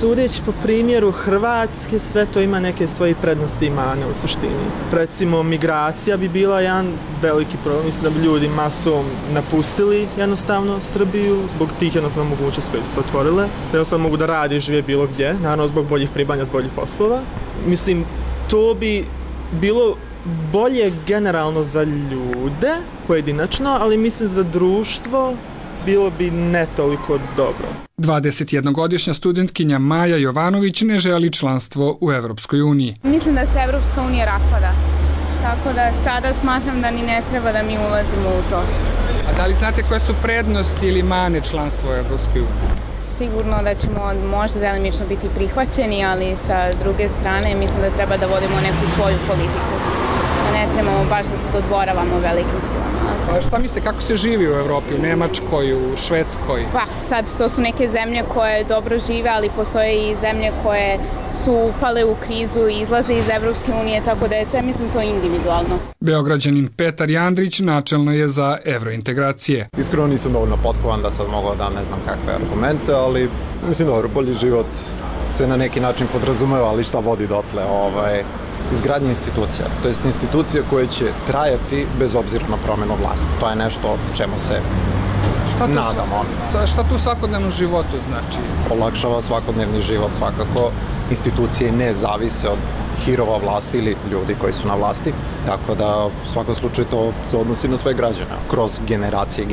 sudeći po primjeru Hrvatske, sve to ima neke svoje prednosti i mane u suštini. Recimo, migracija bi bila jedan veliki problem. Mislim da bi ljudi masom napustili jednostavno Srbiju zbog tih jednostavno mogućnosti koje bi se otvorile. Jednostavno mogu da radi i žive bilo gdje, naravno zbog boljih primanja, zbog boljih poslova. Mislim, to bi bilo bolje generalno za ljude, pojedinačno, ali mislim za društvo bilo bi ne toliko dobro. 21-godišnja studentkinja Maja Jovanović ne želi članstvo u Evropskoj uniji. Mislim da se Evropska unija raspada. Tako da sada smatram da ni ne treba da mi ulazimo u to. A da li znate koje su prednosti ili mane članstva u Evropskoj uniji? Sigurno da ćemo možda delimično biti prihvaćeni, ali sa druge strane mislim da treba da vodimo neku svoju politiku. Da ne trebamo baš da se dodvoravamo velikim silama. Šta mislite, kako se živi u Evropi, u Nemačkoj, u Švedskoj? Pa sad, to su neke zemlje koje dobro žive, ali postoje i zemlje koje su upale u krizu i izlaze iz Evropske unije, tako da je sve, mislim, to individualno. Beograđanin Petar Jandrić načelno je za evrointegracije. Iskreno nisam dovoljno potkovan da sad mogu da ne znam kakve argumente, ali mislim dobro, bolji život se na neki način podrazumeva, ali šta vodi dotle, izgradnje institucija, to jest institucija koje će trajati bez obzira na promjenu vlasti. To je nešto čemu se nadamo. Šta tu u svakodnevnom životu znači? Olakšava svakodnevni život svakako. Institucije ne zavise od hirova vlasti ili ljudi koji su na vlasti, tako da u svakom slučaju to se odnosi na sve građane. Kroz generacije,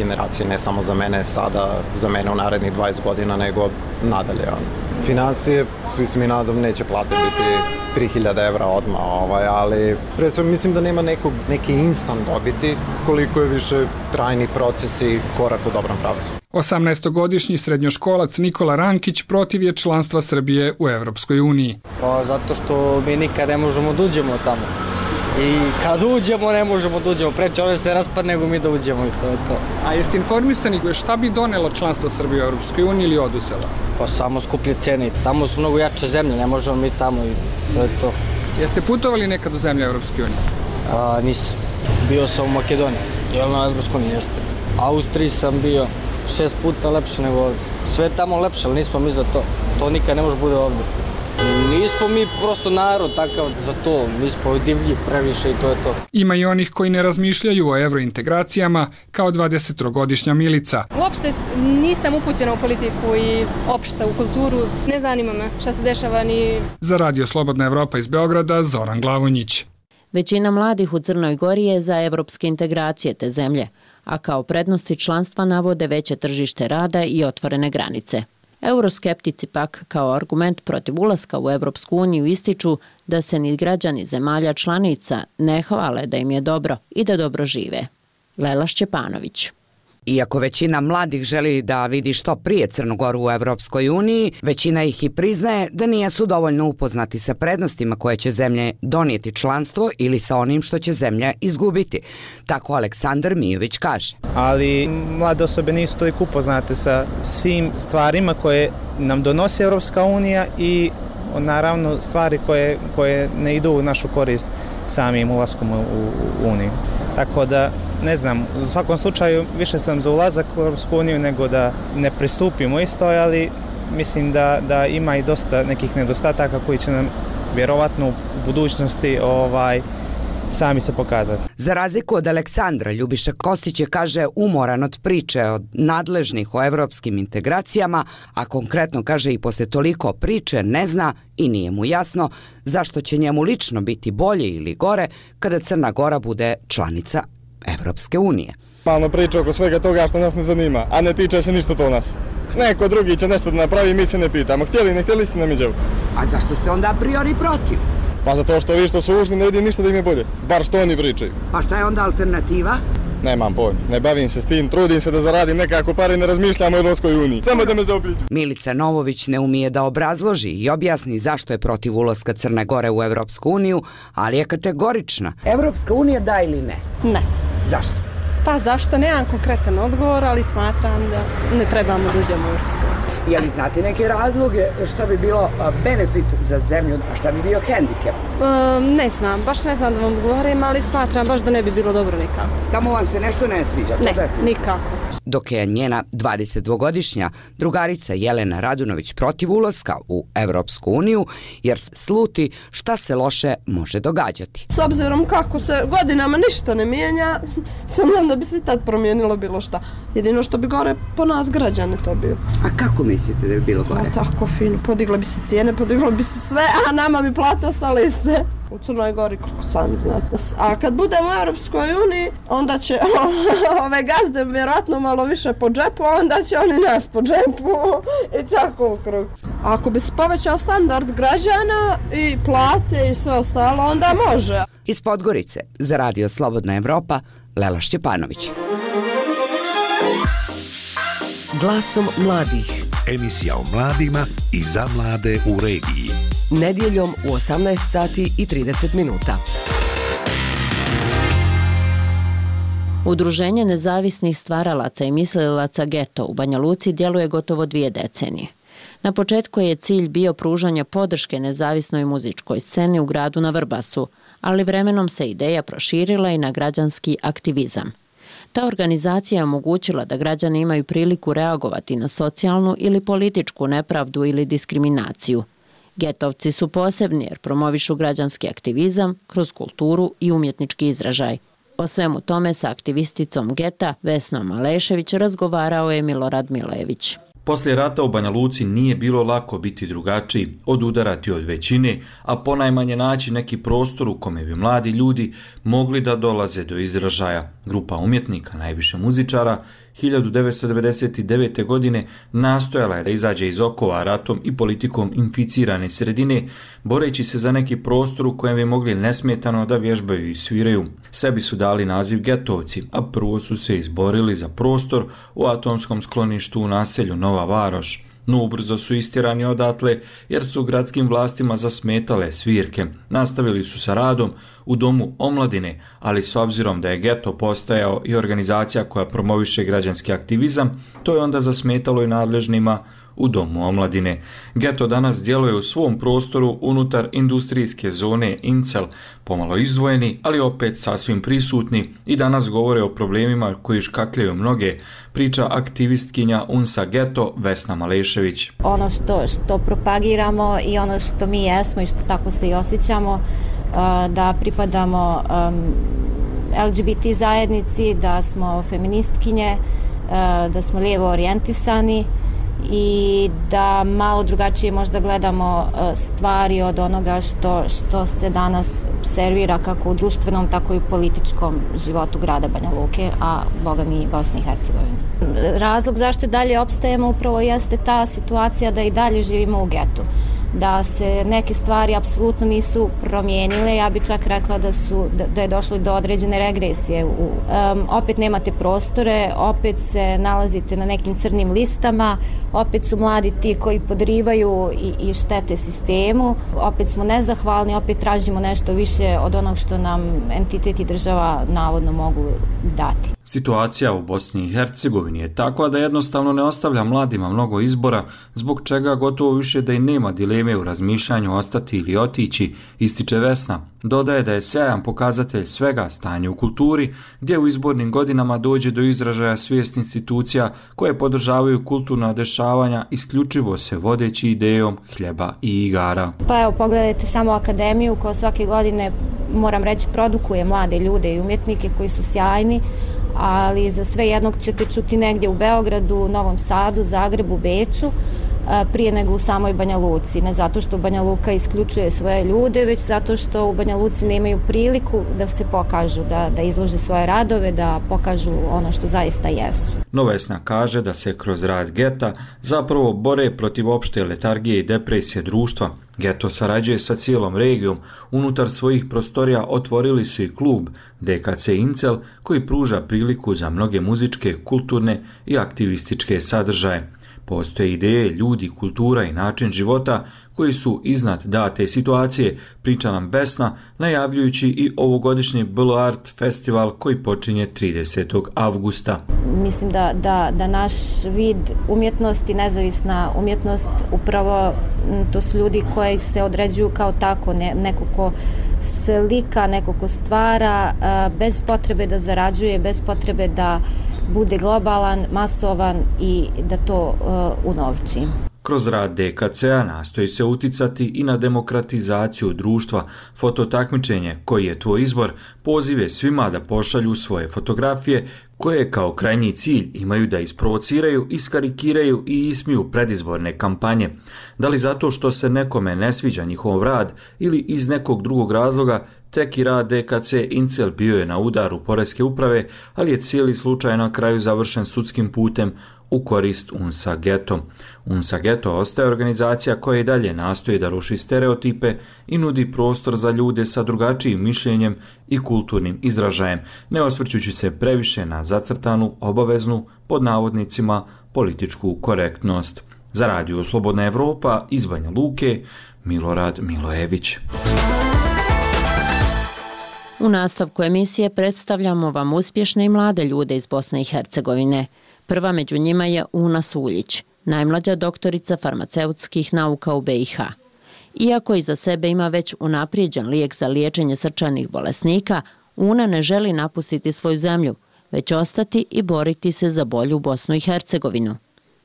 ne samo za mene sada, za mene u narednih 20 godina, nego nadalje. Finansije, svi se mi nadam, neće plate biti 3000 evra odmah, ali pre sve mislim da nema neki instant dobiti, koliko je više trajni proces i korak u dobrom pravcu. 18-godišnji srednjoškolac Nikola Rankić protiv je članstva Srbije u Evropskoj uniji. Pa zato što mi nikad ne možemo da uđemo tamo. I kad uđemo, ne možemo da uđemo. Preče ove se raspadne nego mi da uđemo i to je to. A jeste informisani šta bi donelo članstvo Srbije u Evropskoj uniji ili odusela? Pa samo skuplje cene. Tamo su mnogo jače zemlje, ne možemo mi tamo i to je to. Jeste putovali nekad u zemlje Evropske unije? Nisam. Bio sam u Makedoniji. Jel na Evropskoj uniji jeste. Austriji sam bio 6 puta lepše nego ovdje. Sve je tamo lepše, ali nismo mi za to. To nikad ne može bude ovdje. Nismo mi prosto narod takav za to, mi smo divlji previše i to je to. Ima i onih koji ne razmišljaju o evrointegracijama kao 23-godišnja Milica. Uopšte nisam upućena u politiku i opšte u kulturu, ne zanima me šta se dešava ni... Za Radio Slobodna Evropa iz Beograda, Zoran Glavonjić. Većina mladih u Crnoj Gori je za evropske integracije te zemlje, a kao prednosti članstva navode veće tržište rada i otvorene granice. Euroskeptici pak kao argument protiv ulaska u Evropsku uniju ističu da se ni građani zemalja članica ne hvale da im je dobro i da dobro žive. Lela Šćepanović. Iako većina mladih želi da vidi što prije Crnu Goru u Evropskoj uniji, većina ih i priznaje da nisu dovoljno upoznati sa prednostima koje će zemlje donijeti članstvo ili sa onim što će zemlja izgubiti. Tako Aleksandar Mijović kaže. Ali mlade osobe nisu toliko upoznate sa svim stvarima koje nam donosi Evropska unija i naravno stvari koje ne idu u našu korist samim ulaskom u Uniju. Tako da, ne znam, u svakom slučaju više sam za ulazak u Europsku uniju nego da ne pristupimo isto, ali mislim da ima i dosta nekih nedostataka koji će nam vjerovatno u budućnosti sami se pokazati. Za razliku od Aleksandra, Ljubiša Kostić je, kaže, umoran od priče od nadležnih o evropskim integracijama, a konkretno, kaže, i posle toliko priče ne zna i nije mu jasno zašto će njemu lično biti bolje ili gore kada Crna Gora bude članica Evropske unije. Malo priča oko svega toga što nas ne zanima, a ne tiče se ništa to nas. Neko drugi će nešto da napravi, mi se ne pitamo. Htjeli, ne htjeli ste nam iđevu. A zašto ste onda a priori protiv? Pa zato što vi što su ušli ne vidim ništa da im je bolje. Bar što oni pričaju. Pa šta je onda alternativa? Nemam pojma, ne bavim se s tim, trudim se da zaradim nekako pare i ne razmišljam o Evropskoj uniji. Samo da me zaobiđu. Milica Novović ne umije da obrazloži i objasni zašto je protiv ulaska Crne Gore u Evropsku uniju, ali je kategorična. Evropska unija da ili ne? Ne. Zašto? Pa zašto? Nemam konkretan odgovor, ali smatram da ne trebamo da uđemo u Evropsku uniju. Je li znate neke razloge što bi bilo benefit za zemlju, a šta bi bio hendikep? Ne znam, baš ne znam da vam govorim, ali smatram baš da ne bi bilo dobro nikako. Tamo vam se nešto ne sviđa? Ne, nikako. Dok je njena 22-godišnja drugarica Jelena Radunović protiv ulaska u Evropsku uniju, jer sluti šta se loše može događati. S obzirom kako se godinama ništa ne mijenja, sam da bi se tad promijenilo bilo šta. Jedino što bi gore po nas građane to bilo. A kako mislite da bi bilo gore? Tako fino, podigla bi se cijene, podigla bi se sve, a nama bi plate ostale iste. U Crnoj Gori, koliko sami znate. A kad budemo u Europskoj uniji, onda će ove gazde vjerojatno malo više po džepu, a onda će oni nas po džepu i tako u krug. A ako bi se povećao standard građana i plate i sve ostalo, onda može. Iz Podgorice, za Radio Slobodna Evropa, Lela Šćepanović. Glasom mladih. Emisija o mladima i za mlade u regiji. Nedjeljom u 18 sati i 30 minuta. Udruženje nezavisnih stvaralaca i mislilaca Geto u Banja Luci djeluje gotovo 2 decenije. Na početku je cilj bio pružanje podrške nezavisnoj muzičkoj sceni u gradu na Vrbasu, ali vremenom se ideja proširila i na građanski aktivizam. Ta organizacija je omogućila da građani imaju priliku reagovati na socijalnu ili političku nepravdu ili diskriminaciju. Getovci su posebni jer promovišu građanski aktivizam kroz kulturu i umjetnički izražaj. O svemu tome sa aktivisticom Geta Vesnom Alešević razgovarao je Milorad Milejević. Poslije rata u Banja Luci nije bilo lako biti drugačiji, odudarati od većine, a ponajmanje naći neki prostor u kome bi mladi ljudi mogli da dolaze do izražaja. Grupa umjetnika, najviše muzičara, 1999. godine nastojala je da izađe iz okova ratom i politikom inficirane sredine, boreći se za neki prostor u kojem bi mogli nesmetano da vježbaju i sviraju. Sebi su dali naziv Getovci, a prvo su se izborili za prostor u atomskom skloništu u naselju Nova Varoš. No ubrzo su istirani odatle jer su gradskim vlastima zasmetale svirke. Nastavili su sa radom u Domu omladine, ali s obzirom da je Geto postajao i organizacija koja promoviše građanski aktivizam, to je onda zasmetalo i nadležnima u Domu omladine. Geto danas djeluje u svom prostoru unutar industrijske zone Incel, pomalo izdvojeni, ali opet sasvim prisutni i danas govore o problemima koji škakljaju mnoge, priča aktivistkinja UNSA Geto Vesna Malešević. Ono što propagiramo i ono što mi jesmo i što tako se i osjećamo, da pripadamo LGBT zajednici, da smo feministkinje, da smo lijevo orijentisani i da malo drugačije možda gledamo stvari od onoga što se danas servira kako u društvenom, tako i u političkom životu grada Banja Luke, a boga mi i Bosne i Hercegovine. Razlog zašto i dalje opstajemo upravo jeste ta situacija da i dalje živimo u getu, da se neke stvari apsolutno nisu promijenile. Ja bih čak rekla da je došlo do određene regresije. Opet nemate prostore, opet se nalazite na nekim crnim listama, opet su mladi ti koji podrivaju i štete sistemu, opet smo nezahvalni, opet tražimo nešto više od onog što nam entitet i država navodno mogu dati. Situacija u Bosni i Hercegovini je takva da jednostavno ne ostavlja mladima mnogo izbora, zbog čega gotovo više da i nema dileme u razmišljanju ostati ili otići, ističe Vesna. Dodaje da je sjajan pokazatelj svega stanje u kulturi, gdje u izbornim godinama dođe do izražaja svijest institucija koje podržavaju kulturna dešavanja isključivo se vodeći idejom hljeba i igara. Pa evo, pogledajte samo akademiju koja svake godine, moram reći, produkuje mlade ljude i umjetnike koji su sjajni, ali za sve jednog ćete čuti negdje u Beogradu, Novom Sadu, Zagrebu, Beču, prije nego u samoj Banja Luci. Ne zato što Banja Luka isključuje svoje ljude, već zato što u Banja Luci nemaju priliku da se pokažu, da izlože svoje radove, da pokažu ono što zaista jesu. No Vesna kaže da se kroz rad geta zapravo bore protiv opšte letargije i depresije društva. Geto sarađuje sa cijelom regijom. Unutar svojih prostorija otvorili su i klub DKC Incel koji pruža priliku za mnoge muzičke, kulturne i aktivističke sadržaje. Postoje ideje, ljudi, kultura i način života koji su iznad date situacije, priča nam Vesna, najavljujući i ovogodišnji BL Art festival koji počinje 30. avgusta. Mislim da naš vid umjetnosti, nezavisna umjetnost, upravo to su ljudi koji se određuju kao tako, neko ko slika, neko ko stvara, bez potrebe da zarađuje, bez potrebe da bude globalan, masovan i da to unovči. Kroz rad DKC-a nastoji se uticati i na demokratizaciju društva, fototakmičenje koji je tvoj izbor, pozive svima da pošalju svoje fotografije koje kao krajnji cilj imaju da isprovociraju, iskarikiraju i ismiju predizborne kampanje. Da li zato što se nekome ne sviđa njihov rad ili iz nekog drugog razloga, tek i rad DKC Incel bio je na udaru poreske uprave, ali je cijeli slučaj na kraju završen sudskim putem u korist UNSA Geto. UNSA Geto ostaje organizacija koja i dalje nastoji da ruši stereotipe i nudi prostor za ljude sa drugačijim mišljenjem i kulturnim izražajem, ne osvrćući se previše na zacrtanu, obaveznu, pod navodnicima, političku korektnost. Za Radio Slobodna Evropa iz Banja Luke, Milorad Milojević. U nastavku emisije predstavljamo vam uspješne i mlade ljude iz Bosne i Hercegovine. Prva među njima je Una Suljić, najmlađa doktorica farmaceutskih nauka u BiH. Iako iza sebe ima već unaprijeđen lijek za liječenje srčanih bolesnika, Una ne želi napustiti svoju zemlju, već ostati i boriti se za bolju Bosnu i Hercegovinu.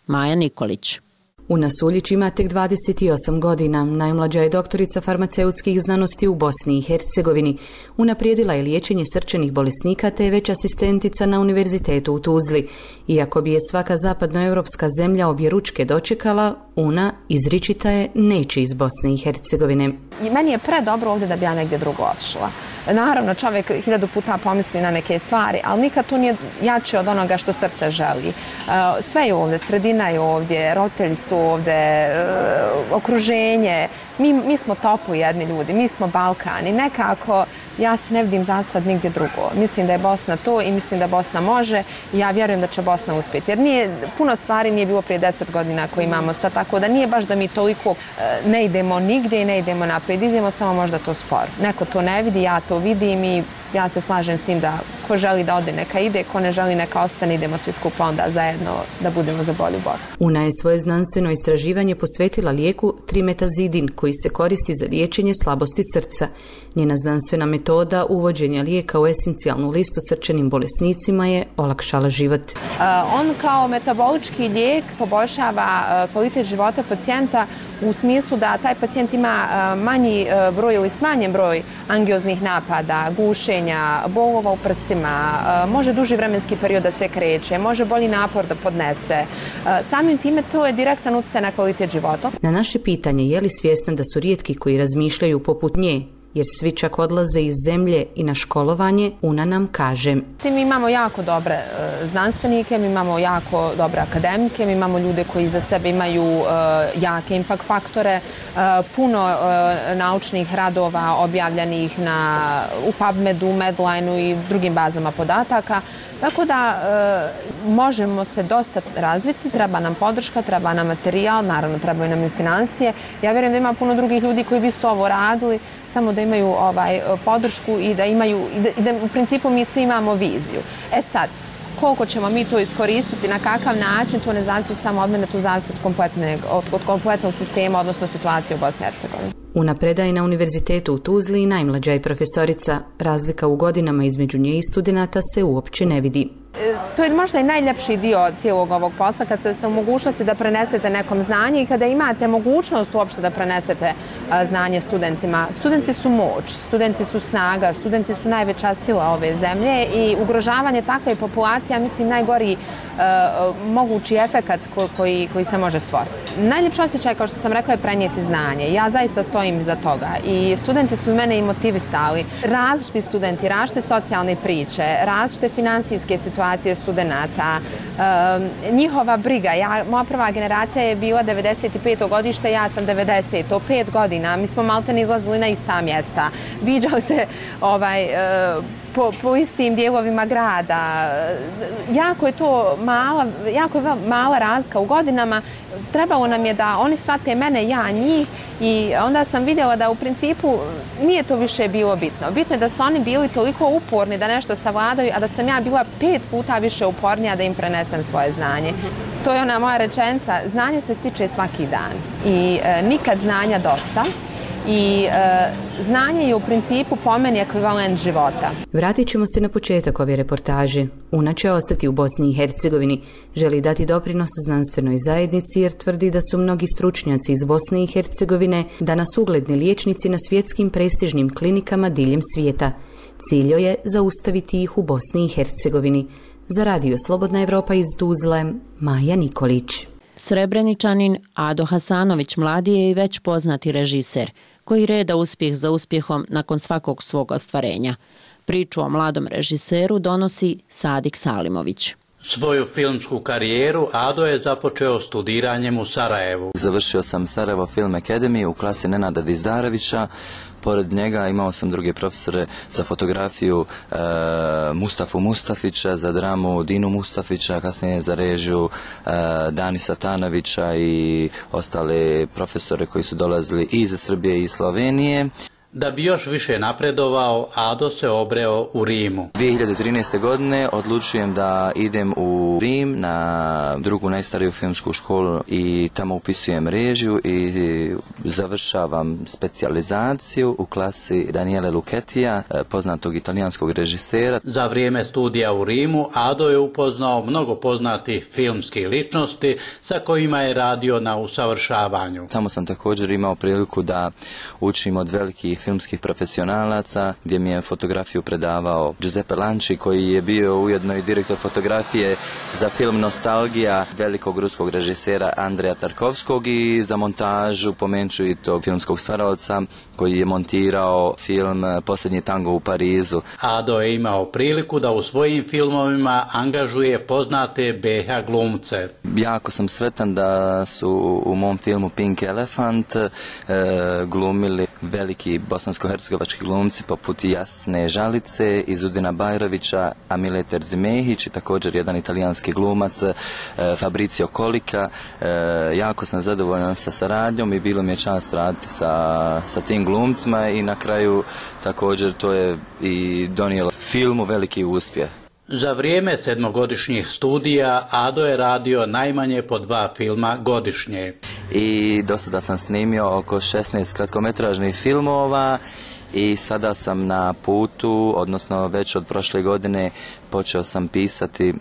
Maja Nikolić. Una Suljić ima tek 28 godina, najmlađa je doktorica farmaceutskih znanosti u Bosni i Hercegovini. Unaprijedila je liječenje srčanih bolesnika te je već asistentica na univerzitetu u Tuzli. Iako bi je svaka zapadnoevropska zemlja objeručke dočekala, Una izričita je neće iz Bosne i Hercegovine. I meni je predobro ovdje da bi ja negdje drugo otišla. Naravno, čovjek 1000 puta pomisli na neke stvari, ali nikad to nije jače od onoga što srce želi. Sve je ovdje, sredina je ovdje, roditelji su ovdje, okruženje. Mi smo topu jedni ljudi, mi smo Balkan i nekako ja se ne vidim za sad nigdje drugo. Mislim da je Bosna to i mislim da Bosna može i ja vjerujem da će Bosna uspjeti. Jer puno stvari nije bilo prije 10 godina koje imamo sad, tako da nije baš da mi toliko ne idemo nigdje i ne idemo naprijed, idemo samo možda to sporo. Neko to ne vidi, ja to vidim i ja se slažem s tim da ko želi da ode neka ide, ko ne želi neka ostane, idemo svi skupa onda zajedno da budemo za bolju Bosnu. Una je svoje znanstveno istraživanje posvetila lijeku trimetazidin koji se koristi za liječenje slabosti srca. Njena znanstvena metoda uvođenja lijeka u esencijalnu listu srčanim bolesnicima je olakšala život. On kao metabolički lijek poboljšava kvalitet života pacijenta u smislu da taj pacijent ima manji broj ili smanjen broj angioznih napada, gušenja, bolova u prsima, može duži vremenski period da se kreće, može bolji napor da podnese. Samim time to je direktan utjecaj na kvalitet života. Na naše pitanje je li svjestan da su rijetki koji razmišljaju poput nje, jer svi čak odlaze iz zemlje i na školovanje, Una nam kaže. Mi imamo jako dobre znanstvenike, mi imamo jako dobre akademike, mi imamo ljude koji za sebe imaju jake impact faktore, puno naučnih radova objavljenih u PubMedu, Medlineu i drugim bazama podataka. Tako da možemo se dosta razviti, treba nam podrška, treba nam materijal, naravno trebaju nam i financije. Ja vjerujem da ima puno drugih ljudi koji bi isto ovo radili, samo da imaju podršku i da u principu mi svi imamo viziju. Sad, koliko ćemo mi to iskoristiti, na kakav način, to ne zavisi samo od mene, to zavisi od kompletnog sistema, odnosno situacije u Bosni i Hercegovini. Una predaje na univerzitetu u Tuzli i najmlađa je profesorica. Razlika u godinama između nje i studenata se uopće ne vidi. To je možda i najljepši dio cijelog ovog posla, kad ste u mogućnosti da prenesete nekom znanje i kada imate mogućnost uopšte da prenesete znanje studentima. Studenti su moć, studenti su snaga, studenti su najveća sila ove zemlje i ugrožavanje takve populacije, mislim, najgori mogući efekat koji se može stvoriti. Najljepši osjećaj, kao što sam rekla, je prenijeti znanje. Ja zaista stojim iza toga i studenti su mene i motivisali. Različiti studenti, različite socijalne priče, različite finansijske situacije studenata, njihova briga. Moja prva generacija je bila 95. godište, ja sam 90. 5 godina. Mi smo maltene izlazili na ista mjesta. Viđali se po istim dijelovima grada. Jako je mala razlika u godinama. Trebalo nam je da oni shvate mene, ja njih, i onda sam vidjela da u principu nije to više bilo bitno. Bitno je da su oni bili toliko uporni da nešto savladaju, a da sam ja bila 5 puta više upornija da im prenesem svoje znanje. To je ona moja rečenica, znanje se stiče svaki dan i nikad znanja dosta. I znanje je u principu po meni ekvivalent života. Vratit ćemo se na početak ove reportaže. Una će ostati u Bosni i Hercegovini. Želi dati doprinos znanstvenoj zajednici jer tvrdi da su mnogi stručnjaci iz Bosne i Hercegovine danas ugledni liječnici na svjetskim prestižnim klinikama diljem svijeta. Cilj je zaustaviti ih u Bosni i Hercegovini. Za Radio Slobodna Evropa iz Tuzle, Maja Nikolić. Srebreničanin Ado Hasanović mladi je i već poznati režiser, koji reda uspjeh za uspjehom nakon svakog svog ostvarenja. Priču o mladom režiseru donosi Sadik Salimović. Svoju filmsku karijeru Ado je započeo studiranjem u Sarajevu. Završio sam Sarajevo Film Academy u klasi Nenada Dizdarevića. Pored njega imao sam druge profesore za fotografiju, Mustafu Mustafića, za dramu Dinu Mustafića, kasnije za režiju Danisa Tanovića i ostale profesore koji su dolazili i iz Srbije i Slovenije. Da bi još više napredovao, Ado se obreo u Rimu. 2013. godine odlučujem da idem u Rim na drugu najstariju filmsku školu i tamo upisujem režiju i završavam specijalizaciju u klasi Daniele Lucchetija, poznatog italijanskog režisera. Za vrijeme studija u Rimu Ado je upoznao mnogo poznatih filmskih ličnosti sa kojima je radio na usavršavanju. Tamo sam također imao priliku da učim od velikih filmskih profesionalaca, gdje mi je fotografiju predavao Giuseppe Lanci, koji je bio ujedno i direktor fotografije za film Nostalgija velikog ruskog režisera Andreja Tarkovskog i za montažu pomenču i tog filmskog stvaralaca koji je montirao film Posljednji tango u Parizu. Ado je imao priliku da u svojim filmovima angažuje poznate BiH glumce. Jako sam sretan da su u mom filmu Pink Elephant glumili veliki bosansko-hercegovački glumci poput Jasne Žalice, Izudina Bajrovića, Amile Terzimehić i također jedan italijanski glumac Fabrizio Kolika. Jako sam zadovoljan sa saradnjom i bilo mi je čast raditi sa tim glumcima i na kraju također to je i donijelo filmu veliki uspjeh. Za vrijeme 7-godišnjih studija Ado je radio najmanje po 2 filma godišnje. I do sada sam snimio oko 16 kratkometražnih filmova i sada sam na putu, odnosno već od prošle godine počeo sam pisati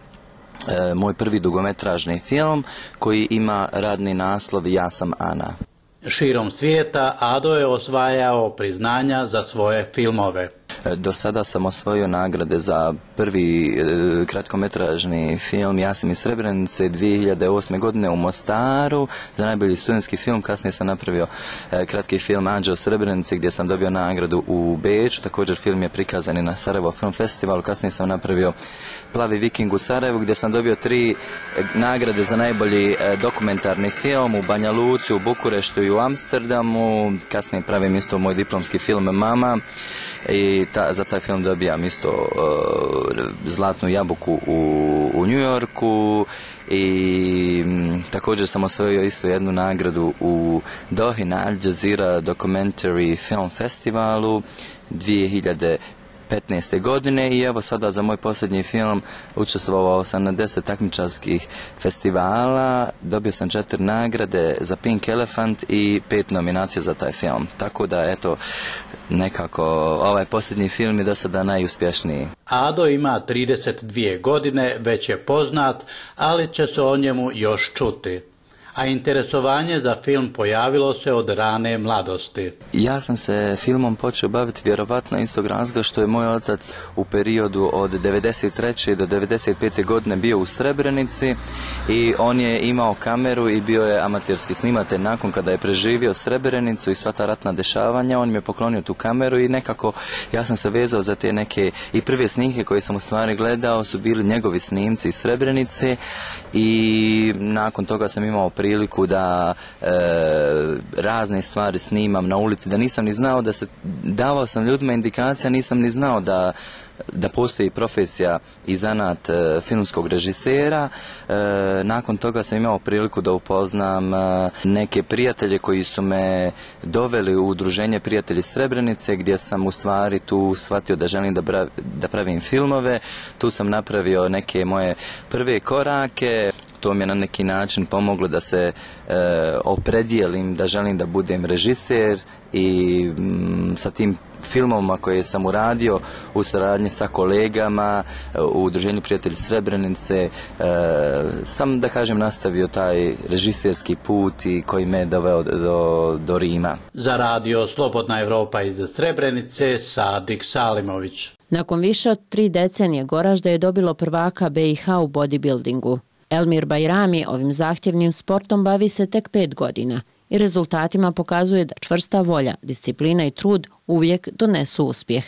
moj prvi dugometražni film koji ima radni naslov Ja sam Ana. Širom svijeta Ado je osvajao priznanja za svoje filmove. Do sada sam osvojio nagrade za prvi kratkometražni film Ja sam iz Srebrenice 2008. godine u Mostaru za najbolji studentski film. Kasnije sam napravio kratki film Anđeo Srebrenice gdje sam dobio nagradu u Beču. Također film je prikazan i na Sarajevo Film Festivalu. Kasnije sam napravio Plavi viking u Sarajevu gdje sam dobio 3 nagrade za najbolji dokumentarni film u Banja Luci, u Bukureštu i u Amsterdamu. Kasnije pravim isto moj diplomski film Mama i za taj film dobijam isto Zlatnu jabuku u New Yorku i također sam osvojio isto jednu nagradu u Dohi na Al Jazeera Documentary Film Festivalu 2015. godine i evo sada za moj posljednji film učestvovao sam na 10 takmičarskih festivala, dobio sam 4 nagrade za Pink Elephant i 5 nominacija za taj film. Tako da eto, nekako ovaj posljednji film je do sada najuspješniji. Ado ima 32 godine, već je poznat, ali će se o njemu još čuti. A interesovanje za film pojavilo se od rane mladosti. Ja sam se filmom počeo baviti vjerovatno istog razloga što je moj otac u periodu od 93. do 95. godine bio u Srebrenici i on je imao kameru i bio je amaterski snimatelj. Nakon kada je preživio Srebrenicu i sva ta ratna dešavanja, on mi je poklonio tu kameru i nekako ja sam se vezao za te neke i prve snimke koje sam u stvari gledao su bili njegovi snimci iz Srebrenice i nakon toga sam imao priliku da razne stvari snimam na ulici, da nisam ni znao da se, davao sam ljudima indikacija, nisam ni znao da postoji profesija i zanat filmskog režisera. Nakon toga sam imao priliku da upoznam neke prijatelje koji su me doveli u udruženje Prijatelji Srebrenice gdje sam u stvari tu shvatio da želim da pravim filmove. Tu sam napravio neke moje prve korake. To mi je na neki način pomoglo da se opredijelim da želim da budem režiser i sa tim filmovima koje sam uradio u saradnji sa kolegama u udruženju Prijatelji Srebrenice sam, da kažem, nastavio taj režiserski put i koji me doveo do Rima. Za radio Slobodna Evropa iz Srebrenice, Sadik Salimović. Nakon više od 3 decenije Goražde je dobilo prvaka BiH u bodybuildingu. Elmir Bajrami ovim zahtjevnim sportom bavi se tek 5 godina i rezultatima pokazuje da čvrsta volja, disciplina i trud uvijek donesu uspjeh.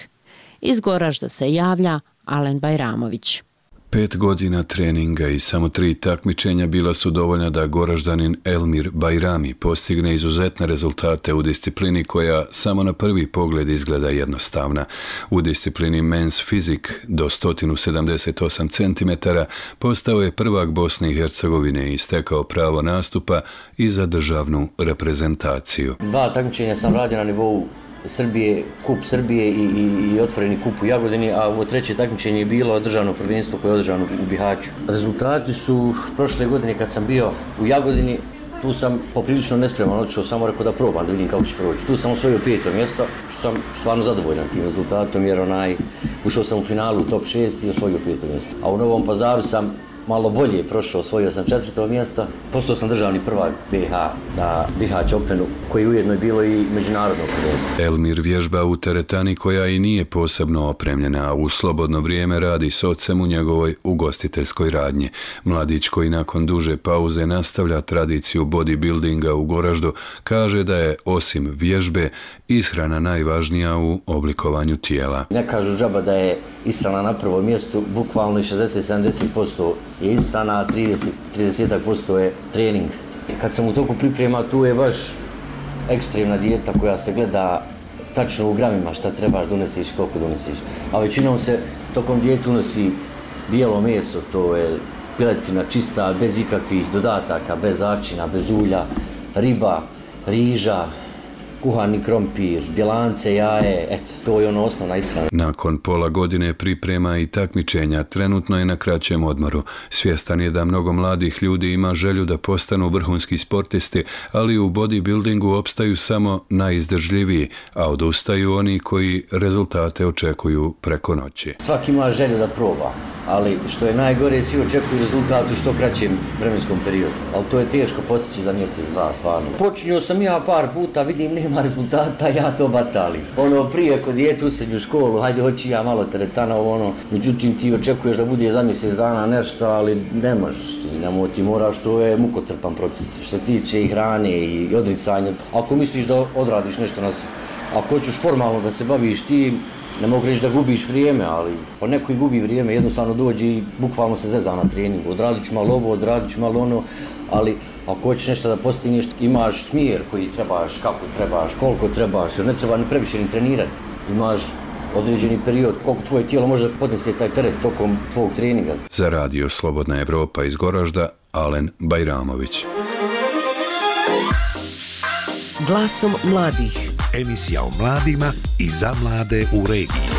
Iz Goražda se javlja Alen Bajramović. 5 godina treninga i samo 3 takmičenja bila su dovoljna da Goraždanin Elmir Bajrami postigne izuzetne rezultate u disciplini koja samo na prvi pogled izgleda jednostavna. U disciplini Men's Physique do 178 cm postao je prvak Bosne i Hercegovine i stekao pravo nastupa i za državnu reprezentaciju. 2 takmičenja sam radio na nivou Srbije, kup Srbije i otvoreni kup u Jagodini, a ovo 3. takmičenje je bilo državno prvenstvo koje je održano u Bihaću. Rezultati su prošle godine kad sam bio u Jagodini, tu sam poprilično nespreman, otišao samo rekao da probam, da vidim kako će proći. Tu sam osvojio 5. mjesto, što sam stvarno zadovoljan tim rezultatom, jer ušao sam u finalu u top 6 i osvojio 5. mjesto. A u Novom Pazaru sam malo bolje prošao, osvojio sam 4. mjesto, postao sam državni prvak BiH na Bihać Openu, koji ujedno je bilo i međunarodno prvenstvo. Elmir vježba u teretani koja i nije posebno opremljena, a u slobodno vrijeme radi s ocem u njegovoj ugostiteljskoj radnji. Mladić koji nakon duže pauze nastavlja tradiciju bodybuildinga u Goraždu, kaže da je osim vježbe ishrana najvažnija u oblikovanju tijela. Ne kažu džaba da je ishrana na prvom mjestu, bukvalno 60-70% je ishrana, a 30% je trening. Kad sam u toku priprema, tu je baš ekstremna dijeta koja se gleda tačno u gramima šta trebaš donesiš, koliko donesiš. A većinom se tokom dijete unosi bijelo meso, to je piletina čista, bez ikakvih dodataka, bez začina, bez ulja, riba, riža, kuhani krompir, bjelance, jaje, eto, to je ono osnovna ishrana. Nakon pola godine priprema i takmičenja, trenutno je na kraćem odmoru. Svjestan je da mnogo mladih ljudi ima želju da postanu vrhunski sportisti, ali u bodybuildingu opstaju samo najizdržljiviji, a odustaju oni koji rezultate očekuju preko noći. Svaki ima želju da proba, ali što je najgore, svi očekuju rezultat u što kraćem vremenskom periodu. Ali to je teško postići za mjesec, dva, stvarno. Počinio sam ja par puta, vidim nema rezultata, ja to batalim. Prije kod dijete u srednju školu, hajde hoći ja malo teretana, međutim ti očekuješ da bude za mjesec dana nešto, ali ne možeš ti moraš, to je mukotrpan proces. Što se tiče i hrane i odricanja. Ako misliš da odradiš nešto na se, ako hoćeš formalno da se baviš ti, ne mogu reći da gubiš vrijeme, ali pa neko i gubi vrijeme, jednostavno dođe i bukvalno se zeza na treningu. Odradit ću malo ovo, odradit ću malo ono, ali ako hoćeš nešto da postigneš, imaš smjer koji trebaš, kako trebaš, koliko trebaš, jer ne treba ni previše ni trenirati. Imaš određeni period koliko tvoje tijelo može da podnese taj teret tokom tvog treninga. Za radio Slobodna Evropa iz Goražda, Alen Bajramović. Glasom mladih. Emisija o mladima i za mlade u regiji.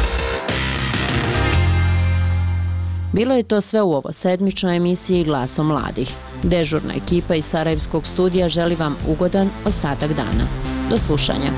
Bilo je to sve u ovo sedmičnoj emisiji Glasom mladih. Dežurna ekipa iz Sarajevskog studija želi vam ugodan ostatak dana. Do slušanja.